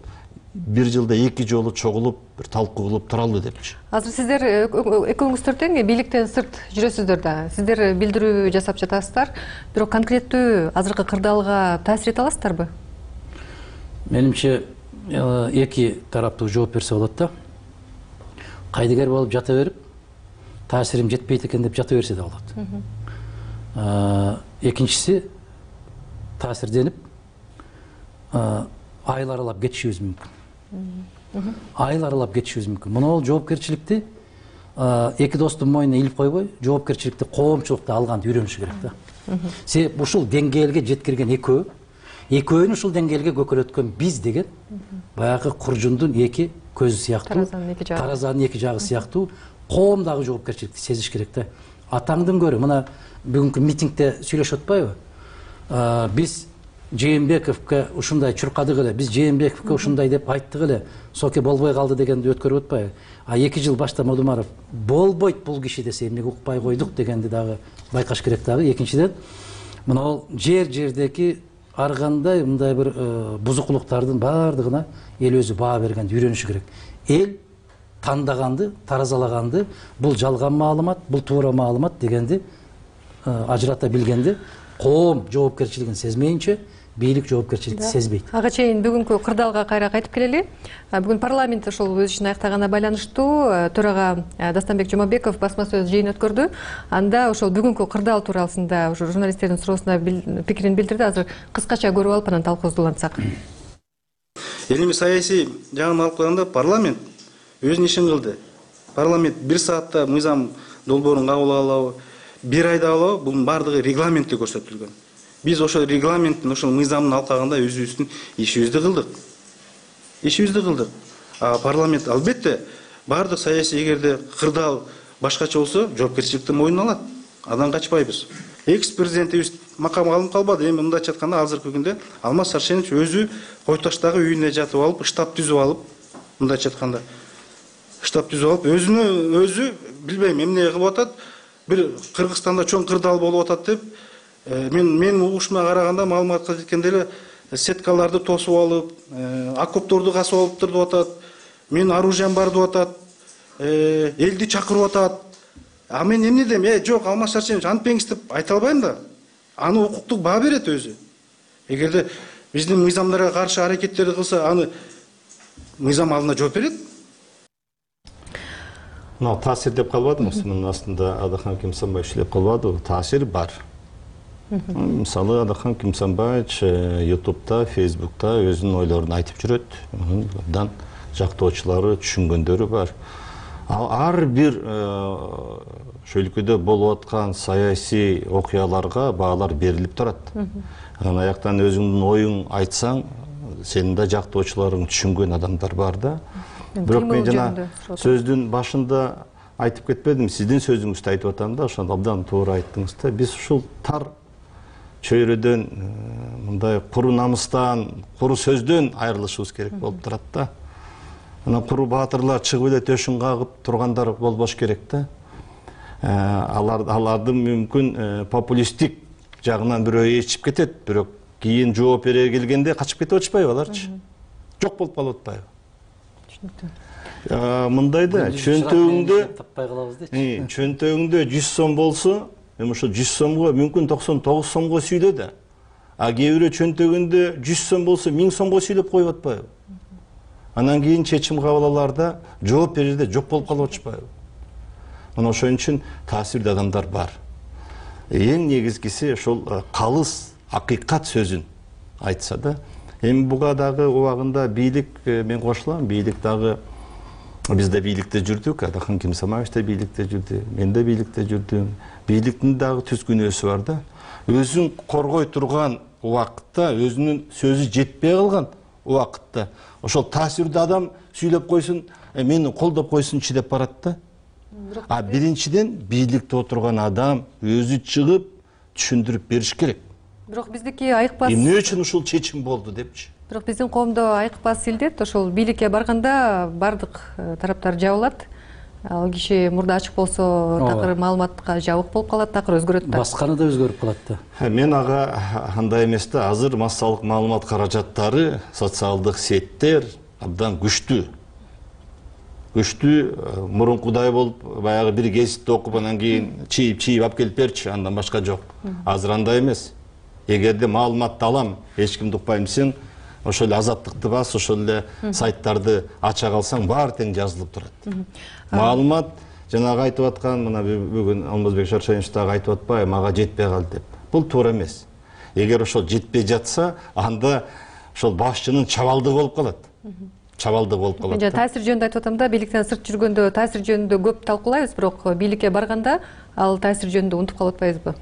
бир жылда эки жолу чогулуп, бир талкуу кылып туралы депчи. Азыр сиздер экөөңүздөр тең бийликтен сырт жүрөсүздөр да. Сиздер билдирүү жасап жатасыздар, бирок конкреттүү азыркы кырдаалга таасир эте аласыздарбы? Менимче эки тараптуу жооп берсе болот да. Кайдыгер болуп жата берип, таасирим жетпейт экен деп жата берсе да болот. Экинчиси таасирденип айыл аралап кетишибиз мүмкүн. Айыл аралап кетишибиз мүмкүн. Мына жоопкерчиликти эки достун мойнуна илип койбой, жоопкерчиликти коомчулукта алганды үйрөнүш керек да. Себеп ушул деңгээлге жеткирген экөө, экөөнү ушул деңгээлге көкөлөткөн биз деген баягы куржундун эки көзү сыяктуу, таразанын эки жагы сыяктуу коом дагы жоопкерчиликти сезиш керек да. Атаңдын көрү, мына бүгүнкү митингде сүйлөшүп атпайбы? Биз Жээнбековго ушундай чуркадык эле, биз Жээнбековго ушундай деп айттык эле, соке болбой калды дегенди өткөрүп атпайбы? А эки жыл баштап Модумаров болбойт бул киши десе эмнеге укпай койдук дегенди дагы байкаш керек дагы. Экинчиден, мына ол жер-жердеги ар кандай мындай бир бузукулуктардын баардыгына эл өзү баа бергенди үйрөнүшү керек. Эл тандаганды, таразалаганды, бул жалган маалымат, бул туура маалымат дегенди ажырата билгенди, коом жоопкерчилигин сезмейинче бийлик жоопкерчиликти сезбейт. Ага чейин бүгүнкү кырдаалга кайра кайтып келели. Бүгүн парламент ошол өз ишин аяктаганына байланыштуу төрага Дастанбек Жумабеков басма сөз жыйын өткөрдү. Анда ошол бүгүнкү кырдаал туурасында ошо журналисттердин суроосуна пикирин билдирди. Азыр кыскача көрүп алып анан талкуубузду улантсак. Элimiz саясий жагын алып караганда парламент өзүнүн ишин кылды. Парламент бир саатта мыйзам долбоорун кабыл алабы, бир айда алабы, бунун баардыгы регламентте көрсөтүлгөн. Биз ошол регламенттин, ошол мыйзамын алкаганда өзүбүздүн ишибизди кылдык. Ишибизди кылдык. А парламент албетте баардык саясий эгерде кырдаал башкача болсо, жоопкерчиликти мойнуна алат. Андан качпайбыз. Экс-президентибиз макамга алынып калбады. Эми мындайча айтканда азыркы күндө Алмаз Саршенович өзү Койташтагы үйүнө жатып алып, штаб түзүп алып, мындайча айтканда штаб түзүп алып, өзүнө өзү билбейм эмне кылып атат. Бир Кыргызстанда чоң кырдаал болуп атат деп, мен менин угушума караганда маалыматка жеткенде эле сеткаларды тосуп алып, окопторду касып алып туруп атат. Менин оружием бар деп атат. Элди чакырып атат. А мен эмне дейм? Э, жок, Алмаз Саршенович антпеңиз деп айта албайм да. Аны укуктук баа берет өзү. Эгерде биздин мыйзамдарга каршы аракеттерди кылса, аны мыйзам алдында жооп берет. Мына таасир деп калбадымбы? Мунун астында Адахан Кимсанбаевич деп калбадыбы? Таасир бар. Мисалы Адахан Кимсанбаевич ютубта, фейсбукта өзүнүн ойлорун айтып жүрөт. Мындан жактоочулары, түшүнгөндөрү бар. Ал ар бир ошол өлкөдө болуп аткан саясий окуяларга баалар берилип турат. Анан аяктан өзүңдүн оюң айтсаң, сенин да жактоочуларың, түшүнгөн адамдар бар да. Бирок мен жана сөздүн башында айтып кетпедим, сиздин сөзүңүздү айтып атам да, ошондо абдан туура айттыңыз да. Биз ушул тар чөйрөдөн, мындай куру намыстан, куру сөздөн айрылышыбыз керек болуп турат да. Анан куру баатырлар чыгып эле төшүн кагып тургандар болбош керек да. Алар алардын мүмкүн популисттик жагынан бирөө ээрчип кетет, бирок кийин жооп бере келгенде качып кетип атышпайбы аларчы? Жок болуп калып атпайбы? Мындай да, чөнтөгүңдө чөнтөгүңдө жүз сом болсо, эми ошо жүз сомго мүмкүн токсон тогуз сомго сүйлө да. А кээ бирөө чөнтөгүндө жүз сом болсо миң сомго сүйлөп коюп атпайбы? Анан кийин чечим кабыл алаарда жооп берерде жок болуп калып атышпайбы? Мына ошон үчүн таасирдүү адамдар бар. Эң негизгиси ошол калыс акыйкат сөзүн айтса да. Эми буга дагы убагында бийлик, мен кошулам, бийлик дагы биз да бийликте жүрдүк, Адахан Кимсанбаевич да бийликте жүрдү, мен да бийликте жүрдүм. Бийликтин дагы түз күнөөсү бар да. Өзүн коргой турган убакытта, өзүнүн сөзү жетпей калган убакытта ошол таасирдүү адам сүйлөп койсун, мени колдоп койсунчу деп барат да. А биринчиден бийликте отурган адам өзү чыгып түшүндүрүп бериш керек. Бирок биздики айыкпас. Эмне үчүн ушул чечим болду депчи. Бирок биздин коомдо айыкпас илдет, ошол бийликке барганда бардык тараптар жабылат. ал киши мурда ачык болсо такыр маалыматка жабык болуп калат, такыр өзгөрөт да. Басканы да өзгөрүп калат да. Мен ага андай эмес да, азыр массалык маалымат каражаттары, социалдык сеттер абдан күчтүү. Күчтүү, мурункудай болуп, баягы бир гезитти окуп анан кийин чийип-чийип алып келип берчи, андан башка жок. Азыр андай эмес. Эгерде маалыматты алам, эч кимди укпайм десең, ошол эле Азаттыкты бас, ошол эле сайттарды ача калсаң, баары тең жазылып турат. Маалымат жанагы айтып аткан, мына бүгүн Алмазбек Шаршенович дагы айтып атпайбы, мага жетпей калды деп. Бул туура эмес. Эгер ошол жетпей жатса, анда ошол башчынын чабалдыгы болуп калат. Чабалдыгы болуп калат. Мен таасир жөнүндө айтып атам да, бийликтен сырт жүргөндө таасир жөнүндө көп талкуулайбыз, бирок бийликке барганда ал таасир жөнүндө унутуп калып атпайбызбы?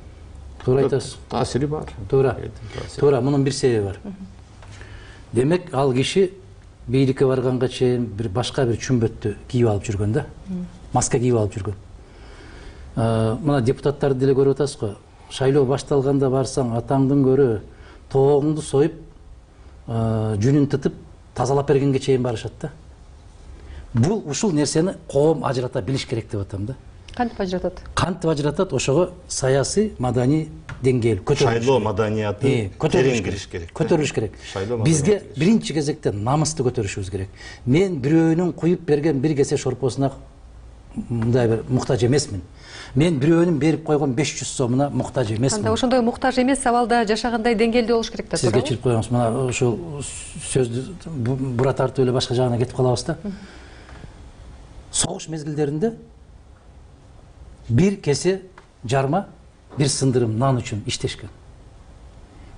Туура айтасыз. Таасири бар. Туура. Туура, мунун бир себеби бар. Демек, ал киши бийликке барганга чейин бир башка бир чүмбөттү кийип алып жүргөн да. Маска кийип алып жүргөн. Мына депутаттарды деле көрүп атасыз го. Шайлоо башталганда барсаң, атаңдын көрө тоогуңду союп, жүнүн тытып, тазалап бергенге чейин барышат да. Бул ушул нерсени коом ажырата билиш керек деп атам да. Кантип ажыратат? Кантип ажыратат? Ошого саясий, маданий деңгээл көтөрүлүш. Шайлоо маданияты көтөрүлүш керек. Көтөрүлүш керек. Бизге биринчи кезекте намысты көтөрүшүбүз керек. Мен бирөөнүн куюп берген бир кесе шорпосуна мындай бир муктаж эмесмин. Мен бирөөнүн берип койгон беш жүз сомуна муктаж эмесмин. Анда ошондой муктаж эмес абалда жашагандай деңгээлде болуш керек да. Сиз кечирип коюңуз. Мына ушул сөздү бура тартып эле башка жагына кетип калабыз да. Согуш мезгилдеринде бир кесе жарма, бир сындырым нан үчүн иштешкен.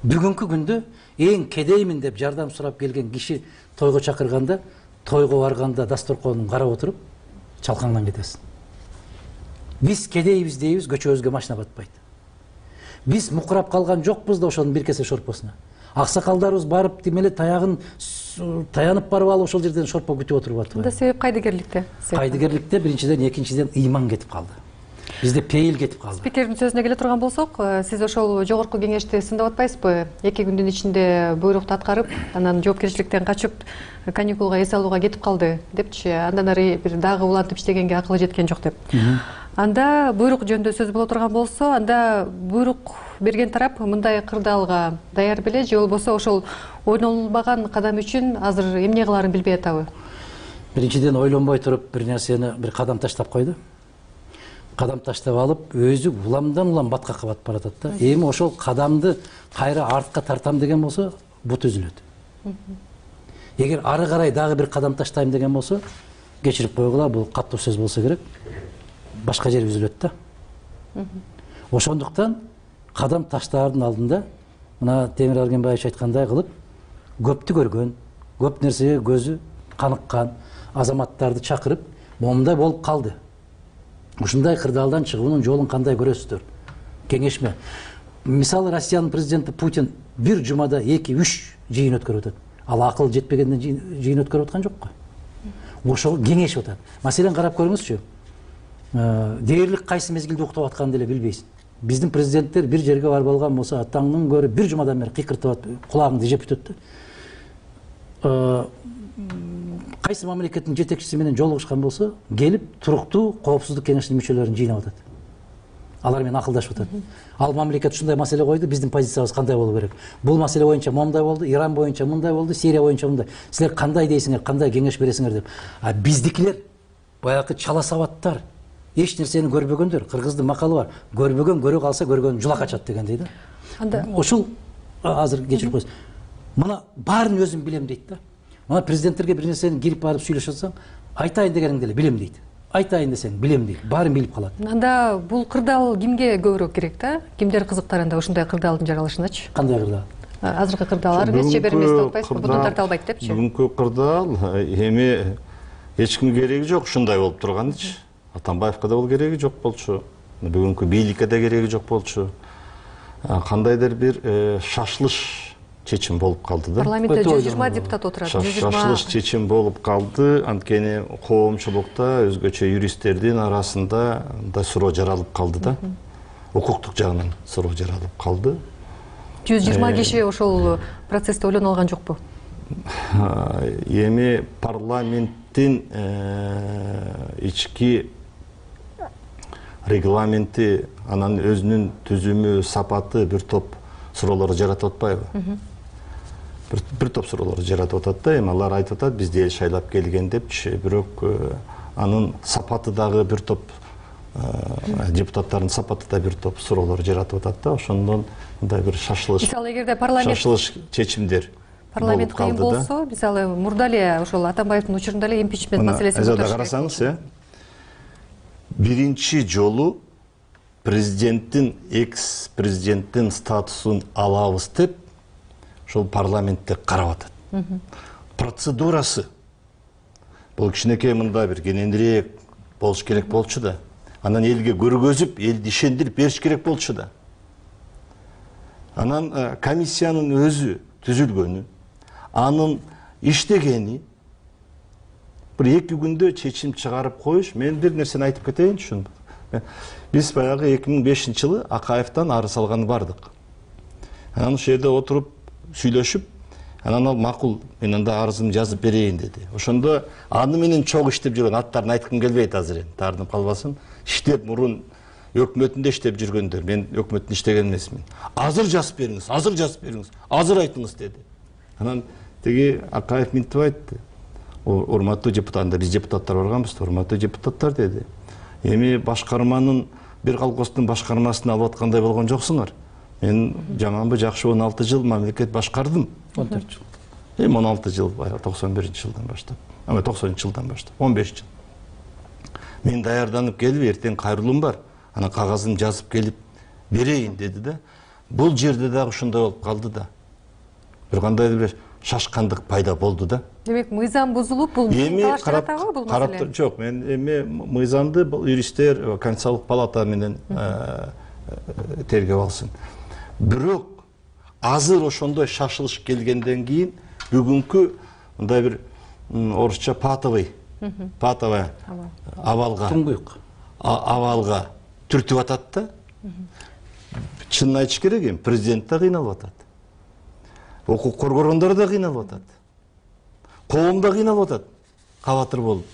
Бүгүнкү күндө эң кедеймин деп жардам сурап келген киши тойго чакырганда, тойго барганда дасторконун карап отуруп, чалкаңдан кетесиң. Биз кедейбиз дейбиз, көчөбүзгө машина батпайт. Биз мукурап калган жокпуз да ошонун бир кесе шорпосуна. Аксакалдарыбыз барып демеле таягын таянып барып алып ошол жерден шорпо күтүп отуруп атпайбы? Анда себеп кайдыгерликте? Кайдыгерликте биринчиден, экинчиден ыйман кетип калды. Бизде пейил кетип калды. Спикердин сөзүнө келе турган болсок, сиз ошол жогорку кеңешти сындап атпайсызбы? эки күндүн ичинде буйрукту аткарып, анан жоопкерчиликтен качып, каникулга эс алууга кетип калды депчи, андан ары бир дагы улантып иштегенге акылы жеткен жок деп. Анда буйрук жөнүндө сөз боло турган болсо, анда буйрук берген тарап мындай кырдаалга даяр беле, же болбосо ошол ойнолбаган кадам үчүн азыр эмне кылаарын билбей атабы? Биринчиден ойлонбой туруп бир нерсени, бир кадам таштап койду. Кадам таштап алып, өзү уламдан улам баткакка батып баратат да. Эми ошол кадамды кайра артка тартам деген болсо, бут үзүлөт. Эгер ары карай дагы бир кадам таштайм деген болсо, кечирип койгула, бул каттуу сөз болсо керек, башка жери үзүлөт да. Ошондуктан кадам таштаардын алдында, мына Темир Аргенбаевич айткандай кылып, көптү көргөн, көп нерсеге көзү каныккан азаматтарды чакырып, момундай болуп калды. Ушундай кырдаалдан чыгуунун жолун кандай көрөсүздөр? Кеңешме. Мисалы, Россиянын президенти Путин бир жумада эки үч жыйын өткөрүп атат. Ал акыл жетпегенден жыйын өткөрүп аткан жокко. Ошого кеңешип атат. Маселен, карап көрүңүзчү. Дээрлик кайсы мезгилде уктап атканын деле билбейсиң. Биздин президенттер бир жерге барып алган болсо, атаңдын көрү бир жумадан бери кыйкыртып атып, кулагыңды жеп өтөт да. Кайсы мамлекеттин жетекчиси менен жолугушкан болсо, келип туруктуу коопсуздук кеңешинин мүчөлөрүн жыйнап атат. Алар менен акылдашып атат. Ал мамлекет ушундай маселе койду, биздин позициябыз кандай болуу керек? Бул маселе боюнча моундай болду, Иран боюнча мындай болду, Сирия боюнча мындай. Силер кандай дейсиңер, кандай кеңеш бересиңер деп. А биздикилер баягы чала сабаттар, эч нерсени көрбөгөндөр. Кыргыздын макалы бар. Көрбөгөн көрө калса, көргөнүн жула качат дегендей да. Анда ошол азыр кечирип койсоң. Мына баарын өзүм билем дейт да. Мына президенттерге бир нерсени кирип барып сүйлөшүп атсаң, айтайын дегениңди эле билем дейт. Айтайын десең билем дейт. Баарын билип калат. Анда бул кырдаал кимге көбүрөөк керек да? Кимдер кызыктарында ушундай кырдаалдын жаралышыначы? Кандай кырдаал? Азыркы кырдаалар эмес, же бир эмес атпайсызбы? Будун тарта албайт депчи. Бүгүнкү кырдаал эми эч кимге кереги жок, ушундай болуп турганычы. Атамбаевка да бул кереги жок болчу. Бүгүнкү бийликке да кереги жок болчу. Кандайдыр бир шашылыш чечим болуп калды да. Парламентте жүз жыйырма депутат отурат. Шашылыш чечим болуп калды. Анткени коомчулукта, өзгөчө юристтердин арасында да суроо жаралып калды да. Укуктук жагынан суроо жаралып калды. жүз жыйырма киши ошол процессте ойлоно алган жокпу? Эми парламент парламенттин ички регламенти, анан өзүнүн түзүмү, сапаты бир топ суроолорду жаратып атпайбы? Бир топ суроолорду жаратып атат да, эми алар айтып атат, бизди эл шайлап келген депчи, бирок анын сапаты дагы бир топ, депутаттардын сапаты да бир топ суроолор жаратып атат да, ошондон мындай бир шашылыш, мисалы эгерде парламент шашылыш чечимдер парламент кыйын болсо, мисалы мурда эле ошол Атамбаевдин учурунда эле импичмент маселесин көтөрүш керек. Карасаңыз, э биринчи жолу президенттин, экс президенттин статусун алабыз деп ошол парламентте карап атат. Процедурасы бул кичинекей мындай бир кененирээк болуш керек болчу да. Анан элге көргөзүп, элди ишендирип бериш керек болчу да. Анан комиссиянын өзү түзүлгөнү, анын иштегени бир эки күндө чечим чыгарып коюш. Мен бир нерсени айтып кетейинчи. Биз баягы эки миң бешинчи жылы Акаевден арыз алганы бардык. Анан ошол жерде отуруп сүйлөшүп, анан ал макул, мен анда арызымды жазып берейин деди. Ошондо аны менен чогуу иштеп жүргөн, аттарын айткым келбейт азыр, эми таарынып калбасын. Иштеп мурун өкмөтүндө иштеп жүргөндөр, мен өкмөттүн иштеген эмесмин. Азыр жазып бериңиз, азыр жазып бериңиз, азыр айтыңыз деди. Анан тиги Акаев мынтип айтты. Урматтуу депутаттар, биз депутаттар барганбыз, урматтуу депутаттар деди. Эми башкарманын бир колхоздун башкармасын алып аткандай болгон жоксуңар. Мен жаманбы жакшы он алты жыл мамлекет башкардым. он төрт жыл. Эми он алты жыл, токсон биринчи жылдан баштап. Ама токсонунчу жылдан баштап, он беш жыл. Мен даярданып келип, эртең кайрылуум бар. Анан кагазын жазып келип берейин деди да. Бул жерде дагы ушундай болуп калды да. Бир кандайдыр бир шашкандык пайда болду да. Демек, мыйзам бузулуп, бул талаштырат бул маселе. Жок, мен эми мыйзамды юристтер, Конституциялык палата менен тергеп алсын. Бирок азыр ошондой шашылыш келгенден кийин бүгүнкү мындай бир орусча патовый, патовая абалга, туңгуюк абалга түртүп атат да. Чынын айтыш керек, эми президент да кыйналып атат. Укук коргогондар да кыйналып атат. Коом да кыйналып атат, кабатыр болуп.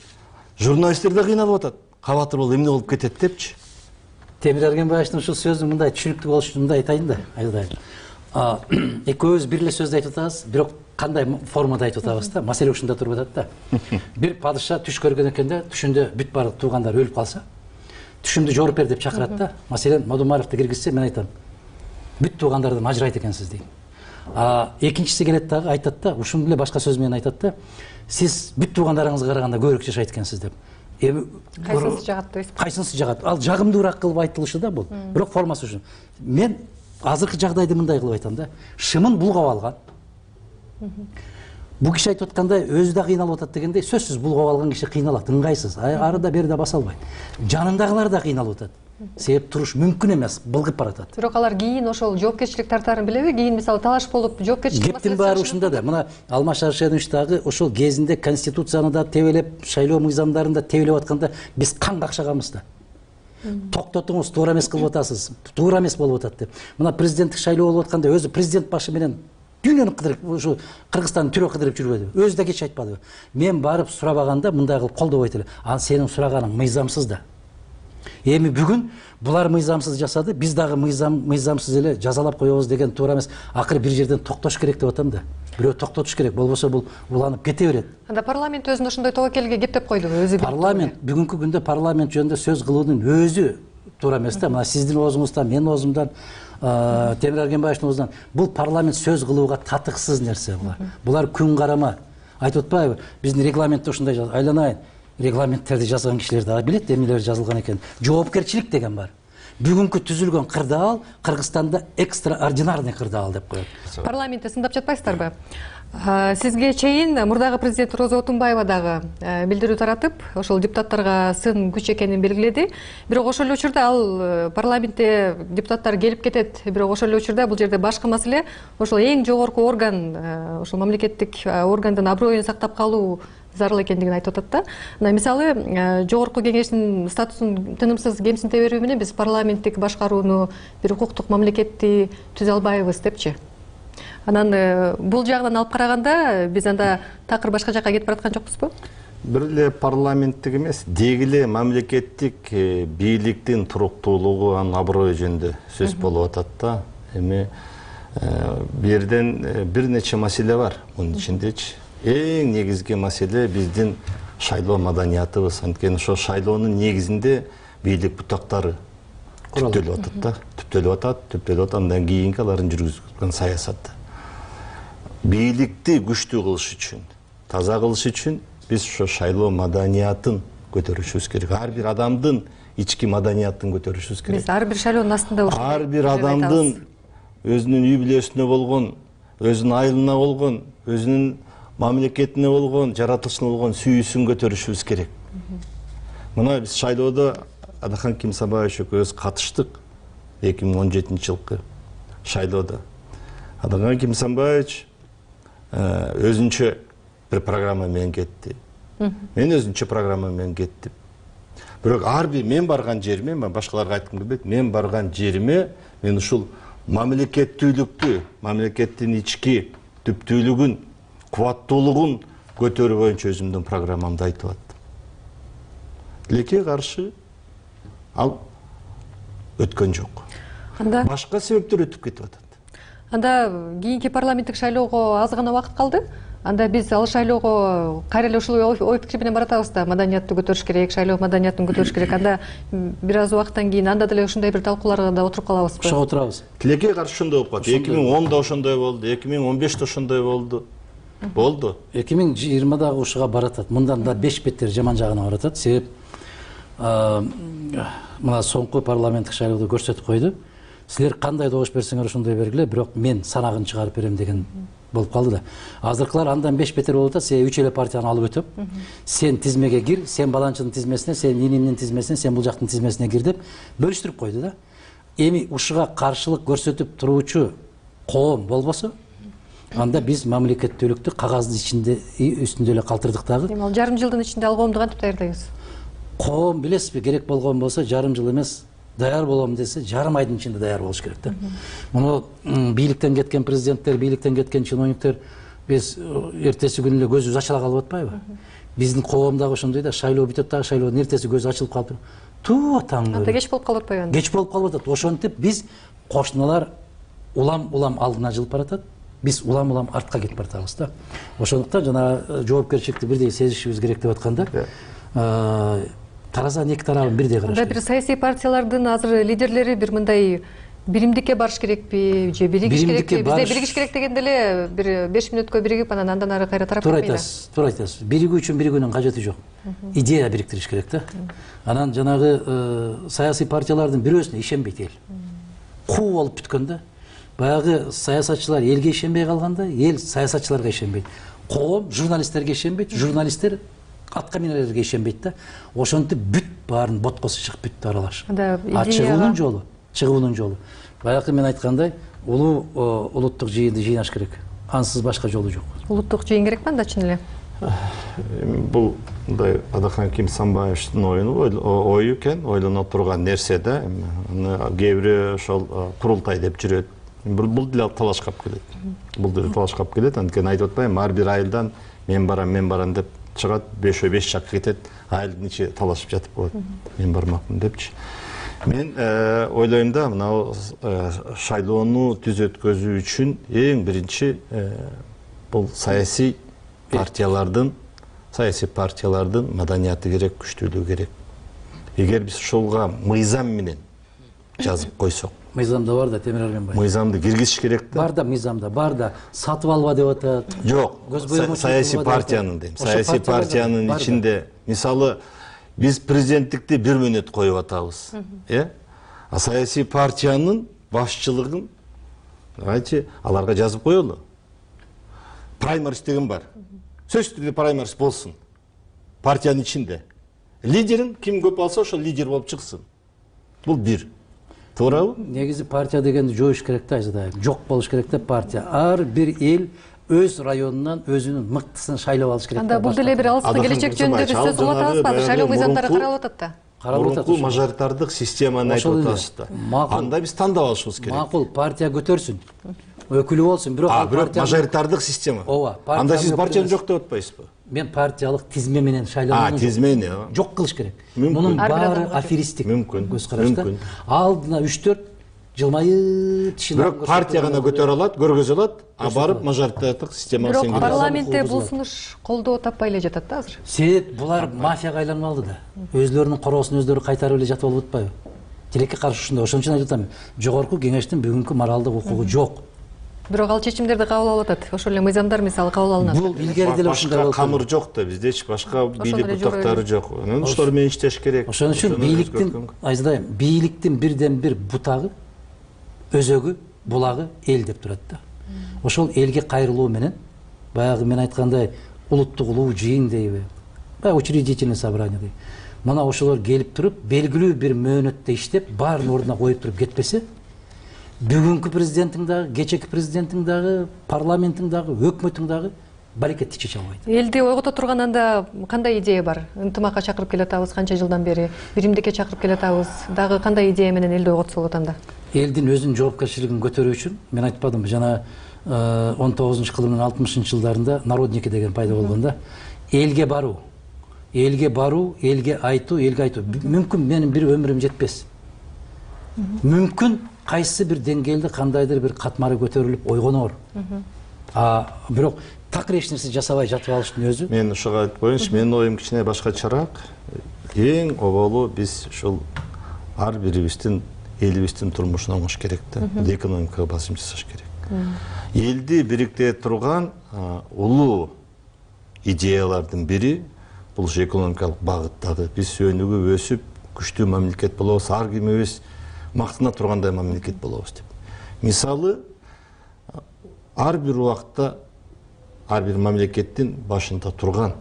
Журналисттер да кыйналып атат, кабатыр болуп, эмне болуп кетет депчи. Темир Эргенбаевдин ушул сөзү мындай түшүнүктүү болуш үчүн мындай айтайын да, айтайын. Экөөбүз бир эле сөздү айтып атабыз, бирок кандай формада айтып атабыз да, маселе ушунда туруп атат да. Бир падыша түш көргөн экен да, түшүндө бүт баардык туугандар өлүп калса, түшүмдү жоруп бер деп чакырат да. Маселен, Мадумаровду киргизсе, мен айтам, бүт туугандардан ажырайт экенсиз дейм. А экинчиси келет дагы айтат да, ушуну эле башка сөз менен айтат да, сиз бүт туугандарыңызга караганда көбүрөөк жашайт экенсиз деп. Эми кайсынысы жагат дейсиз? Кайсынысы жагат? Ал жагымдуураак кылып айтылышы да бул. Бирок формасы ушул. Мен азыркы жагдайды мындай кылып айтам да. Шымын булгап алган. Бул киши айтып аткандай өзү да кыйналып атат дегендей, сөзсүз булгап алган киши кыйналат, ыңгайсыз. Арыда берде баса албайт. Жанындагылар да кыйналып атат. Себеп туруш мүмкүн эмес, былгып баратат. Бирок алар кийин ошол жоопкерчилик тартаарын билеби? Кийин мисалы талаш болуп жоопкерчилик маселеси. Кептин баары ушунда да. Мына Алмаз Шаршенович дагы ошол кезинде конституцияны да тебелеп, шайлоо мыйзамдарын да тебелеп атканда биз кан какшаганбыз да. Токтотуңуз, туура эмес кылып атасыз, туура эмес болуп атат деп. Мына президенттик шайлоо болуп атканда өзү президент башы менен дүйнөнү кыдырып, ушу Кыргызстандын түрө кыдырып жүрбөдү. Өзү да кеч айтпадыбы. Мен барып сурабаганда мындай кылып колдобойт эле. Ал сенин сураганың мыйзамсыз да. Эми бүгүн булар мыйзамсыз жасады, биз дагы мыйзам мыйзамсыз эле жазалап коебуз деген туура эмес. Акыры бир жерден токтош керек деп атам да. Бирөө токтотуш керек, болбосо бул уланып кете берет. Анда парламент өзүн ошондой тобокелге кептеп койдубу өзү? Парламент бүгүнкү күндө парламент жөнүндө сөз кылуунун өзү туура эмес да. Мына сиздин оозуңуздан, менин оозумдан, Темир Эргенбаевдин оозунан бул парламент сөз кылууга татыксыз нерсе булар. Булар күн карама. Айтып атпайбы? Биздин регламентте ушундай жазылган. Айланайын. Регламенттерди жазган кишилер дагы билет эмнелер жазылган экен. Жоопкерчилик деген бар. Бүгүнкү түзүлгөн кырдаал Кыргызстанда экстраординарный кырдаал деп коет. Парламентте сындап жатпайсыздарбы? Сизге чейин мурдагы президент Роза Отунбаева дагы билдирүү таратып, ошол депутаттарга сын күч экенин белгиледи. Бирок ошол эле учурда ал парламентте депутаттар келип кетет. Бирок ошол эле учурда бул жерде башкы маселе ошол эң жогорку орган, ошол мамлекеттик органдын аброюн сактап калуу зарыл экендигин айтып атат да. Мына мисалы жогорку кеңештин статусун тынымсыз кемсинте берүү менен биз парламенттик башкарууну, бир укуктук мамлекетти түзө албайбыз депчи. Анан бул жагынан алып караганда биз анда такыр башка жакка кетип бараткан жокпузбу? бир эле парламенттик эмес, деги эле мамлекеттик бийликтин туруктуулугу, анын аброю жөнүндө сөз болуп атат да. Эми бул жерден бир нече маселе бар. Мунун ичиндечи эң негизги маселе биздин шайлоо маданиятыбыз. Анткени ошо шайлоонун негизинде бийлик бутактары түптөлүп атат да. Түптөлүп атат, түптөлүп атат. Андан кийинки алардын жүргүзгөн саясаты. Бийликти күчтүү кылыш үчүн, таза кылыш үчүн биз ошо шайлоо маданиятын көтөрүшүбүз керек. Ар бир адамдын ички маданиятын көтөрүшүбүз керек. Биз ар бир шайлоонун астында ар бир адамдын өзүнүн үй бүлөсүнө болгон, өзүнүн айылына болгон, өзүнүн мамлекетине болгон, жаратылышына болгон сүйүүсүн көтөрүшүбүз керек. Мына биз шайлоодо Адахан Кимсанбаевич экөөбүз катыштык эки миң он жетинчи жылкы шайлоодо. Адахан Кимсанбаевич өзүнчө бир программа менен кетти. Мен өзүнчө программа менен кеттим. Бирок ар бир мен барган жериме, мен башкаларга айткым келбейт, мен барган жериме мен ушул мамлекеттүүлүктү, мамлекеттин ички түптүүлүгүн, кубаттуулугун көтөрүү боюнча өзүмдүн программамды айтып аттым. Тилекке каршы ал өткөн жок. Анда башка себептер өтүп кетип атат. Анда кийинки парламенттик шайлоого аз гана убакыт калды. Анда биз ал шайлоого кайра эле ушул ой пикир менен баратабыз да, маданиятты көтөрүш керек, шайлоо маданиятын көтөрүш керек. Анда бир аз убакыттан кийин анда деле ушундай бир талкууларга да отуруп калабызбы? Ошого отурабыз. Тилекке каршы ошондой болуп калды. эки миң онда ошондой болду, эки миң он беште ошондой болду. Болду. эки миң жыйырмадагы ушуга баратат. Мындан да беш беттер жаман жагына баратат. Себеп мына соңку парламенттик шайлоодо көрсөтүп койду. Силер кандай добуш берсеңер ошондой бергиле, бирок мен санагын чыгарып берем деген болуп калды да. Азыркылар андан беш бетер болуп атат. Сен үч эле партияны алып өтөп, сен тизмеге кир, сен баланчынын тизмесине, сен инимдин тизмесине, сен бул жактын тизмесине кир деп бөлүштүрүп койду да. Эми ушуга каршылык көрсөтүп туруучу коом болбосо, анда биз мамлекеттүүлүктү кагаздын ичинде үстүндө эле калтырдык дагы. Эми ал жарым жылдын ичинде ал коомду кантип даярдайбыз? Коом билесизби, керек болгон болсо жарым жыл эмес, даяр болом десе жарым айдын ичинде даяр болуш керек да. Муну бийликтен кеткен президенттер, бийликтен кеткен чиновниктер биз эртеси күнү эле көзүбүз ачыла калып атпайбы? Биздин коом дагы ошондой да, шайлоо бүтөт дагы, шайлоодун эртеси көзү ачылып калып. Туу атаң. Анда кеч болуп калып атпайбы? Кеч болуп калып атат. Ошентип биз кошуналар улам-улам алдына жылып баратат. Биз улам-улам артка кетип баратабыз да. Ошондуктан жана жоопкерчиликти бирдей сезишибиз керек деп атканда, таразанын эки тарабын бирдей караш керек. Анда бир саясий партиялардын азыр лидерлери бир мындай биримдикке барыш керекпи же биригиш керекпи? Бизде биригиш керек дегенде эле бир беш мүнөткө биригип анан андан ары кайра тарап кетпейби? Туура айтасыз, туура айтасыз. Биригүү үчүн биригүүнүн кажети жок. Идея бириктириш керек да. Анан жанагы саясий партиялардын бирөөсүнө ишенбейт эл. Куу болуп бүткөн да. Баягы саясатчылар элге ишенбей калганда, эл саясатчыларга ишенбейт. Коом журналисттерге ишенбейт, журналисттер аткаминерлерге ишенбейт да. Ошентип бүт баарын боткосу чыгып бүттү аралаш. А чыгуунун жолу, чыгуунун жолу. Баягы мен айткандай, улуу улуттук жыйынды жыйнаш керек. Ансыз башка жолу жок. Улуттук жыйын керекпи анда чын эле? Бул мындай Адахан Кимсанбаевичтин ою экен, ойлоно турган нерсе да. Кээ бири ошол курултай деп жүрөт. Бул деле талашкап келет. Бул деле талашкап келет. Анткени айтып атпаймынбы, ар бир айылдан мен барам, мен барам деп чыгат, бешөө беш жакка кетет, айылдын ичи талашып жатып коет. Мен бармакмын депчи. Мен ойлойм да, мына шайлоону түз өткөзүү үчүн эң биринчи бул саясий партиялардын, саясий партиялардын маданияты керек, күчтүүлүгү керек. Эгер биз ушулга мыйзам менен жазып койсок, мыйзамда бар да, Темир Арменбаев. Мыйзамды киргизиш керек да. Бар да мыйзамда, бар да. Сатып алба деп атат. Жок, саясий партиянын дейм. Саясий партиянын ичинде, мисалы, биз президенттикти бир мүнөт коюп атабыз. Э? А саясий партиянын башчылыгын айтчы, аларга жазып коелу. Праймерис деген бар. Сөзсүз түрдө праймерис болсун. Партиянын ичинде. Лидерин ким көп алса, ошол лидер болуп чыксын. Бул бир. Туурабы? Негизи партия дегенди жоюш керек да, айзадайым. Жок болуш керек да партия. Ар бир эл өз районунан өзүнүн мыктысын шайлап алыш керек. Анда бул деле бир алыскы келечек жөнүндө биз сөз кылып атабызбы? Азыр шайлоо мыйзамдары каралып атат да. Каралып атат. Мурунку мажоритардык системаны айтып атасыз да. Анда биз тандап алышыбыз керек. Макул, партия көтөрсүн. Өкүлү болсун, бирок ал партия мажоритардык система. Ооба. Анда сиз партияны жок деп атпайсызбы? мен партиялык тизме менен шайланууну тизмени жок кылыш керек. Мүмкүн. Мунун баары аферисттик көз карашта. Алдына үч төрт жылмайып тишин. Бирок партия гана көтөрө алат, көргөзө алат, а барып мажоритардык системага сеңдирип. Бирок парламентте бул сунуш колдоо таппай эле жатат да азыр. Себеп булар мафияга айланып алды да. Өзлөрүнүн короосун өзлөрү кайтарып эле жатып алып атпайбы? Тилекке каршы ушундай. Ошон үчүн айтып атам, жогорку кеңештин бүгүнкү моралдык укугу жок. Бирок ал чечимдерди кабыл алып атат. Ошол эле мыйзамдар мисалы кабыл алынат. Бул илгери деле ушундай болот. Камыр жок да, биздечи башка бийлик бутактары жок. Анан ошолор менен иштеш керек. Ошон үчүн бийликтин, айзадайм, бийликтин бирден бир бутагы, өзөгү, булагы эл деп турат да. Ошол элге кайрылуу менен баягы мен айткандай улуттук улуу жыйын дейби, баягы учредительный собрание дейби. Мына ошолор келип туруп, белгилүү бир мөөнөттө иштеп, баарын ордуна коюп туруп кетпесе, бүгүнкү президенттиң дагы, кечээки президенттиң дагы, парламенттиң дагы, өкмөттүң дагы баракетти чече албайт. Элди ойгото турган анда кандай идея бар? Ынтымакка чакырып келатабыз канча жылдан бери, биримдикке чакырып келатабыз. Дагы кандай идея менен элди ойготсо болот анда? Элдин өзүнүн жоопкерчилигин көтөрүү үчүн мен айтпадымбы, жана он тогузунчу кылымдын алтымышынчы жылдарында народники деген пайда болгон да. Элге баруу, элге баруу, элге айтуу, элге айтуу. Мүмкүн менин бир өмүрүм жетпес. Мүмкүн кайсы бир деңгээлде кандайдыр бир катмары көтөрүлүп ойгонор. А бирок такыр эч нерсе жасабай жатып алыштын өзү. Мен ошого айтып коеюнчу, менин оюм кичине башкачараак. Эң оболу биз ушул ар бирибиздин элибиздин турмушуна оңош керек да. Экономикага басым жасаш керек. Элди бириктире турган улуу идеялардын бири бул экономикалык багыттагы. Биз өнүгүп өсүп, күчтүү мамлекет болобуз, ар кимибиз мактана тургандай мамлекет болобуз деп. Мисалы, ар бир убакта ар бир мамлекеттин башында турган.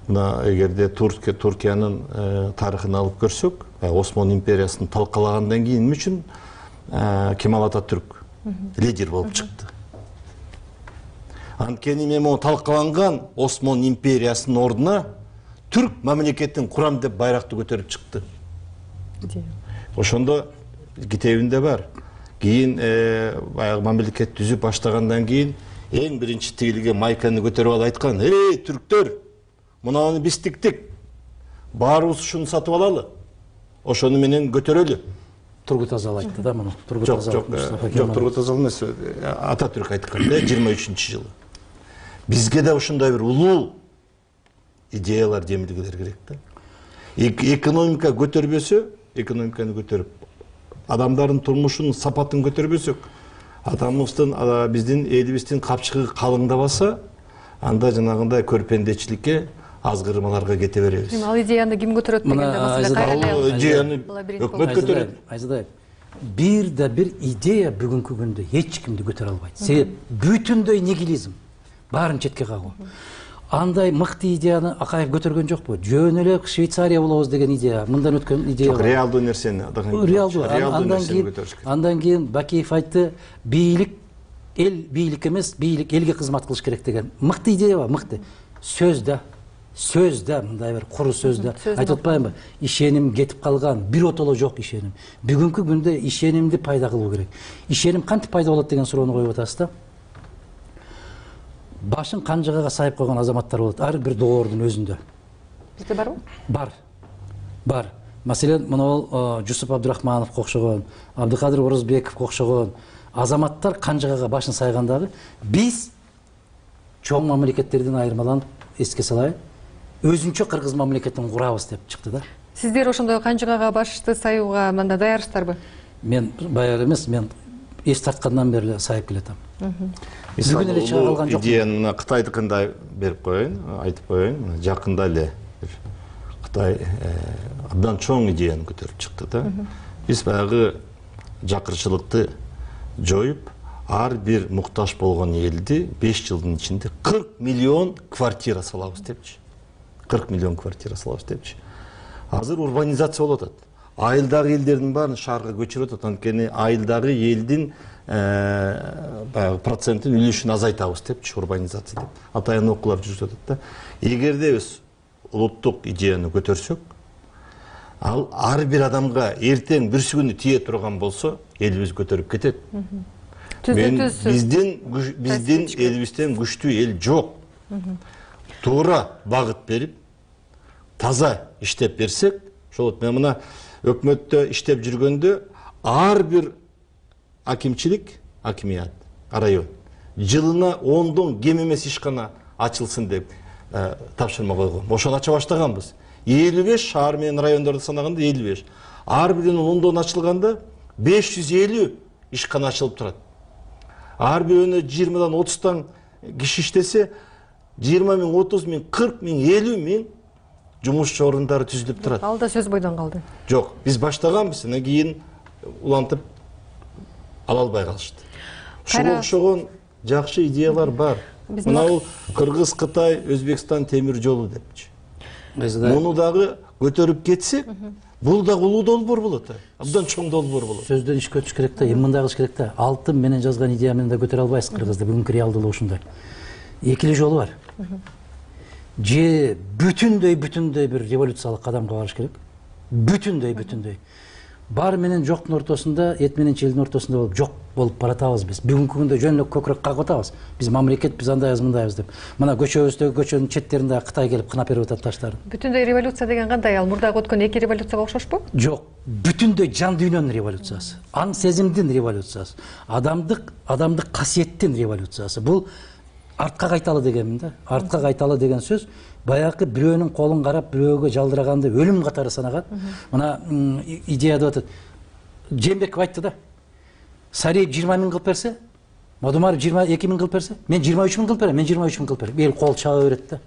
Мына эгерде Туркия Туркиянын тарыхын алып көрсөк, Осман империясын талкалагандан кийин эмне үчүн Кемал Ататүрк лидер болуп чыкты? Анткени мему талкаланган Осман империясынын ордуна түрк мамлекетин курам деп байракты көтөрүп чыкты. Ошондо китебинде бар. Кийин баягы мамлекет түзүп баштагандан кийин эң биринчи тигилге майканы көтөрүп алып айткан: "Эй, түрктөр, мунаны биз тиктик. Баарыбыз ушуну сатып алалы. Ошону менен көтөрөлү." Тургут Азал айтты да муну. Тургут Азал. Жок, Тургут Азал эмес, Ататүрк айткан да жыйырма үчүнчү жылы. Бизге да ушундай бир улуу идеялар жемилгелер керек да. Экономика көтөрбөсө, экономиканы көтөрүп, адамдардын турмушунун сапатын көтөрбөсөк, атамыздын, биздин элибиздин капчыгы калыңдабаса, анда жанагындай көрпендечиликке, азгырмаларга кете беребиз. Ал идеяны ким көтөрөт дегенде маселе кайра идеяны өкмөт көтөрөт. Айзадай, бир да бир идея бүгүнкү күндө эч кимди көтөрө албайт. Себеп бүтүндөй нигилизм, баарын четке кагуу. Андай мыкты идеяны Акаев көтөргөн жокпу? Жөн эле Швейцария болобуз деген идея, мындан өткөн идея. Жок, реалдуу нерсени, реалдуу. Андан кийин, андан кийин Бакиев айтты, бийлик эл бийлик эмес, бийлик элге кызмат кылыш керек деген. Мыкты идея бар, мыкты. Сөз да, сөз да, мындай бир куру сөз да. Айтып атпаймынбы? Ишеним кетип калган, бир отоло жок ишеним. Бүгүнкү күндө ишенимди пайда кылуу керек. Ишеним кантип пайда болот деген суроону коюп атасыз да. Башын канжыгага сайып койгон азаматтар болот, ар бир доордун өзүндө. Бизде барбы? Бар. Бар. Маселен, мына Жусуп Абдурахмановго окшогон, Абдыкадыр Орозбековго окшогон азаматтар канжыгага башын сайгандагы биз чоң мамлекеттерден айырмаланып, эске салайын, өзүнчө кыргыз мамлекетин курабыз деп чыкты да. Сиздер ошондой канжыгага башты саюуга мында даярсыздарбы? Мен даяр эмес, мен эс тарткандан бери эле сайып келатам. Бүгүн эле чыга калган жок. Идеяны мына Кытайдыкында берип коеюн, айтып коеюн. Жакында эле Кытай абдан чоң идеяны көтөрүп чыкты да. Биз баягы жакырчылыкты жоюп, ар бир муктаж болгон элди беш жылдын ичинде кырк миллион квартира салабыз депчи. кырк миллион квартира салабыз депчи. Азыр урбанизация болуп атат. Айылдагы элдердин баарын шаарга көчүрүп атат. Анткени айылдагы элдин баягы проценттин үлүшүн азайтабыз депчи, урбанизация деп. Атайын окуулар жүрүп атат да. Эгерде биз улуттук идеяны көтөрсөк, ал ар бир адамга эртең бирси күнү тие турган болсо, элибиз көтөрүп кетет. Мен биздин биздин элибизден күчтүү эл жок. туура багыт берип таза иштеп берсек, ошол мен мына өкмөттө иштеп жүргөндө ар бир акимчилик, акимият, район жылына ондон кем эмес ишкана ачылсын деп тапшырма койгон. Ошону ача баштаганбыз. элүү беш шаар менен райондорду санаганда элүү беш. Ар биринин ондон ачылганда беш жүз элүү ишкана ачылып турат. Ар бирөөнө жыйырмадан отуздан киши иштесе, жыйырма миң, отуз миң, кырк миң, элүү миң жумушчу орундары түзүлүп турат. Ал да сөз бойдон калды. Жок, биз баштаганбыз, анан кийин улантып ала албай калышты. Ушуга окшогон жакшы идеялар бар. Мына бул Кыргыз, Кытай, Өзбекстан темир жолу депчи. Муну дагы көтөрүп кетсе, бул дагы улуу долбоор болот. Абдан чоң долбоор болот. Сөздөн ишке өтүш керек да, эми мындай кылыш керек да. Алтын менен жазган идея менен да көтөрө албайсыз Кыргызды. Бүгүнкү реалдуулук ушундай. Эки эле жолу бар. Же бүтүндөй бүтүндөй бир революциялык кадамга барыш керек. Бүтүндөй бүтүндөй. Бар менен жоктун ортосунда, эт менен челдин ортосунда болуп жок болуп баратабыз биз. Бүгүнкү күндө жөн эле көкүрөк кагып атабыз. Биз мамлекет, биз андайбыз, мындайбыз деп. Мына көчөбүздөгү көчөнүн четтеринде Кытай келип кынап берип атат таштарын. Бүтүндөй революция деген кандай? Ал мурдагы өткөн эки революцияга окшошпу? Жок, бүтүндөй жан дүйнөнүн революциясы, аң сезимдин революциясы, адамдык, адамдык касиеттин революциясы. Бул артка кайталы дегенмин да. Артка кайталы деген сөз баягы бирөөнүн колун карап, бирөөгө жалдыраганды өлүм катары санаган. Мына идея деп атат. Жээнбеков айтты да. Сариев жыйырма миң кылып берсе, Мадумаров жыйырма эки миң кылып берсе, мен жыйырма үч миң кылып берем, мен жыйырма үч миң кылып берем. Эл кол чаба берет да.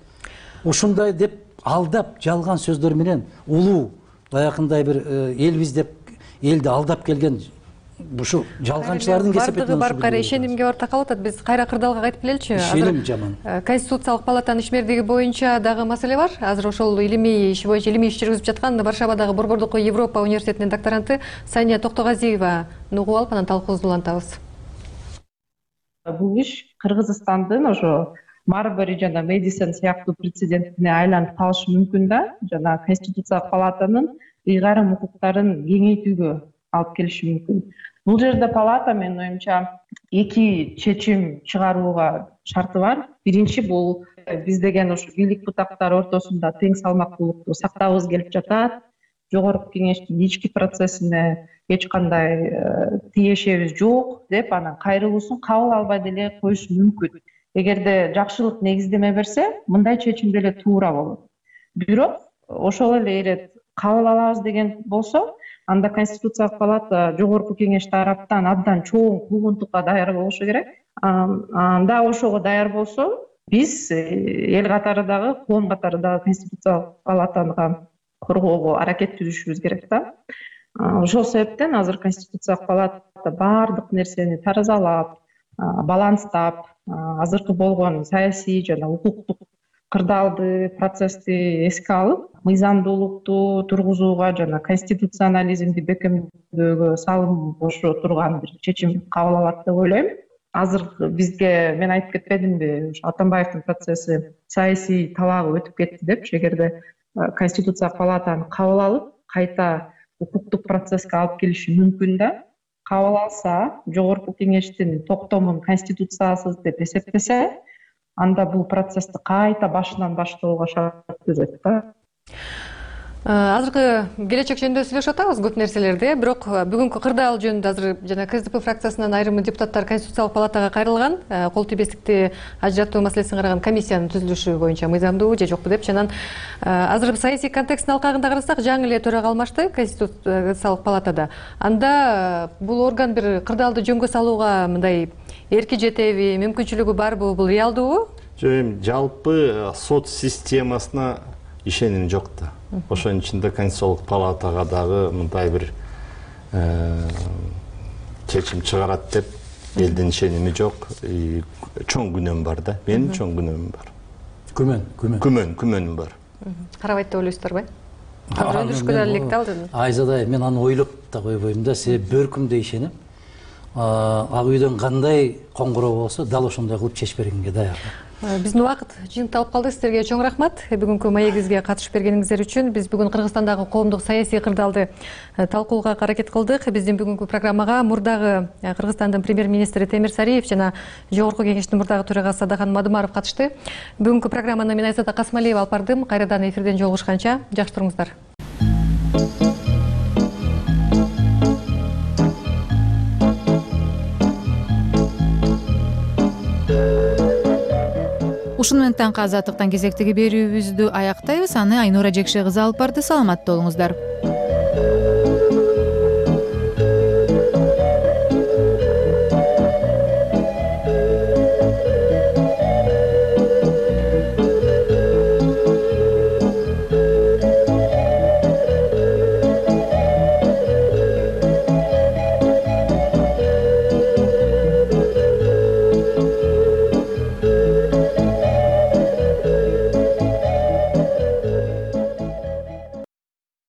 Ушундай деп алдап, жалган сөздөр менен улуу баягындай бир элбиз деп элди алдап келген ушул жалганчылардын кесепетинен бардыгы барып кайра ишенимге барып такалып атат. Биз кайра кырдаалга кайтып келеличи. Ишеним жаман. Конституциялык палатанын ишмердиги боюнча дагы маселе бар. Азыр ошол илимий иши боюнча илимий иш жүргүзүп жаткан Варшавадагы Борбордук Европа университетинин докторанты Сания Токтогазиева угуп алып, анан талкуубузду улантабыз. Бул иш Кыргызстандын ошо Марбери жана Мэдисон сыяктуу прецедентине айланып калышы мүмкүн да, жана Конституциялык палатанын ыйгарым укуктарын кеңейтүүгө алып келиши мүмкүн. Бул жерде палата менин оюмча эки чечим чыгарууга шарты бар. Биринчи бул биз деген ушу бийлик бутактары ортосунда тең салмактуулукту сактагыбыз келип жатат. Жогорку кеңештин ички процессине эч кандай тиешебиз жок деп анан кайрылуусун кабыл албай деле коюшу мүмкүн. Эгерде жакшылык негиздеме берсе, мындай чечим деле туура болот. Бирок ошол эле ирет кабыл алабыз деген болсо, анда Конституциялык палата жогорку кеңеш тараптан абдан чоң куугунтукка даяр болушу керек. Анда ошого даяр болсо, биз эл катары дагы, коом катары дагы Конституциялык палатага коргоого аракет түзүшүбүз керек да. Ошол себептен азыр Конституциялык палата баардык нерсени таразалап, баланстап, азыркы болгон саясий жана укуктук кырдаалды, процессти эске алып, мыйзамдуулукту тургузууга жана конституционализмди бекемдөөгө салым кошо турган бир чечим кабыл алат деп ойлойм. Азыр бизге мен айтып кетпедимби, Атамбаевдин процесси саясий талаабы өтүп кетти деп, эгерде Конституциялык палатаны кабыл алып, кайта укуктук процесске алып келиши мүмкүн да. Кабыл алса, жогорку кеңештин токтомун конституциясыз деп эсептесе, анда бул процессти кайта башынан баштоого шарт түзөт да. Азыркы келечек жөнүндө сүйлөшүп атабыз көп нерселерди, бирок бүгүнкү кырдаал жөнүндө азыр жана КСДП фракциясынан айрым депутаттар Конституциялык палатага кайрылган, кол тийбестикти ажыратуу маселесин караган комиссиянын түзүлүшү боюнча мыйзамдуу же жокпу деп, анан азыр саясий контексттин алкагында карасак, жаңы эле төрага алмашты Конституциялык палатада. Анда бул орган бир кырдаалды жөнгө салууга мындай эрки жетеби, мүмкүнчүлүгү барбы, бул реалдуубу? Жок, эми жалпы сот системасына ишеним жок да. Ошонун ичинде Конституциялык палатага дагы мындай бир чечим чыгарат деп элдин ишеними жок. Чоң күнөм бар да. Менин чоң күнөмүм бар. Күмөн, күмөн. Күмөн, күмөнүм бар. Карабайт деп ойлойсуздарбы? Азыр өндүрүшкө да электал деди. Айзадай, мен аны ойлоп да койбойм да, себеби бөркүмдө ишенем. ак үйдөн кандай коңгуроо болсо дал ошондой кылып чечип бергенге даяр. Биздин убакыт жыйынтыкталып калды. Сиздерге чоң рахмат бүгүнкү маегибизге катышып бергениңиздер үчүн. Биз бүгүн Кыргызстандагы коомдук саясий кырдаалды талкуулоого аракет кылдык. Биздин бүгүнкү программага мурдагы Кыргызстандын премьер-министри Темир Сариев жана Жогорку Кеңештин мурдагы төрагасы Садахан Мадымаров катышты. Бүгүнкү программаны мен Айзада Касмалиева алып бардым. Кайрадан эфирден жолугушканча жакшы туруңуздар. Ушуну менен таңкы азаттыктан кезектеги берүүбүздү аяктайбыз. Аны Айнура Жекше кызы алып барды. Саламатта болуңуздар.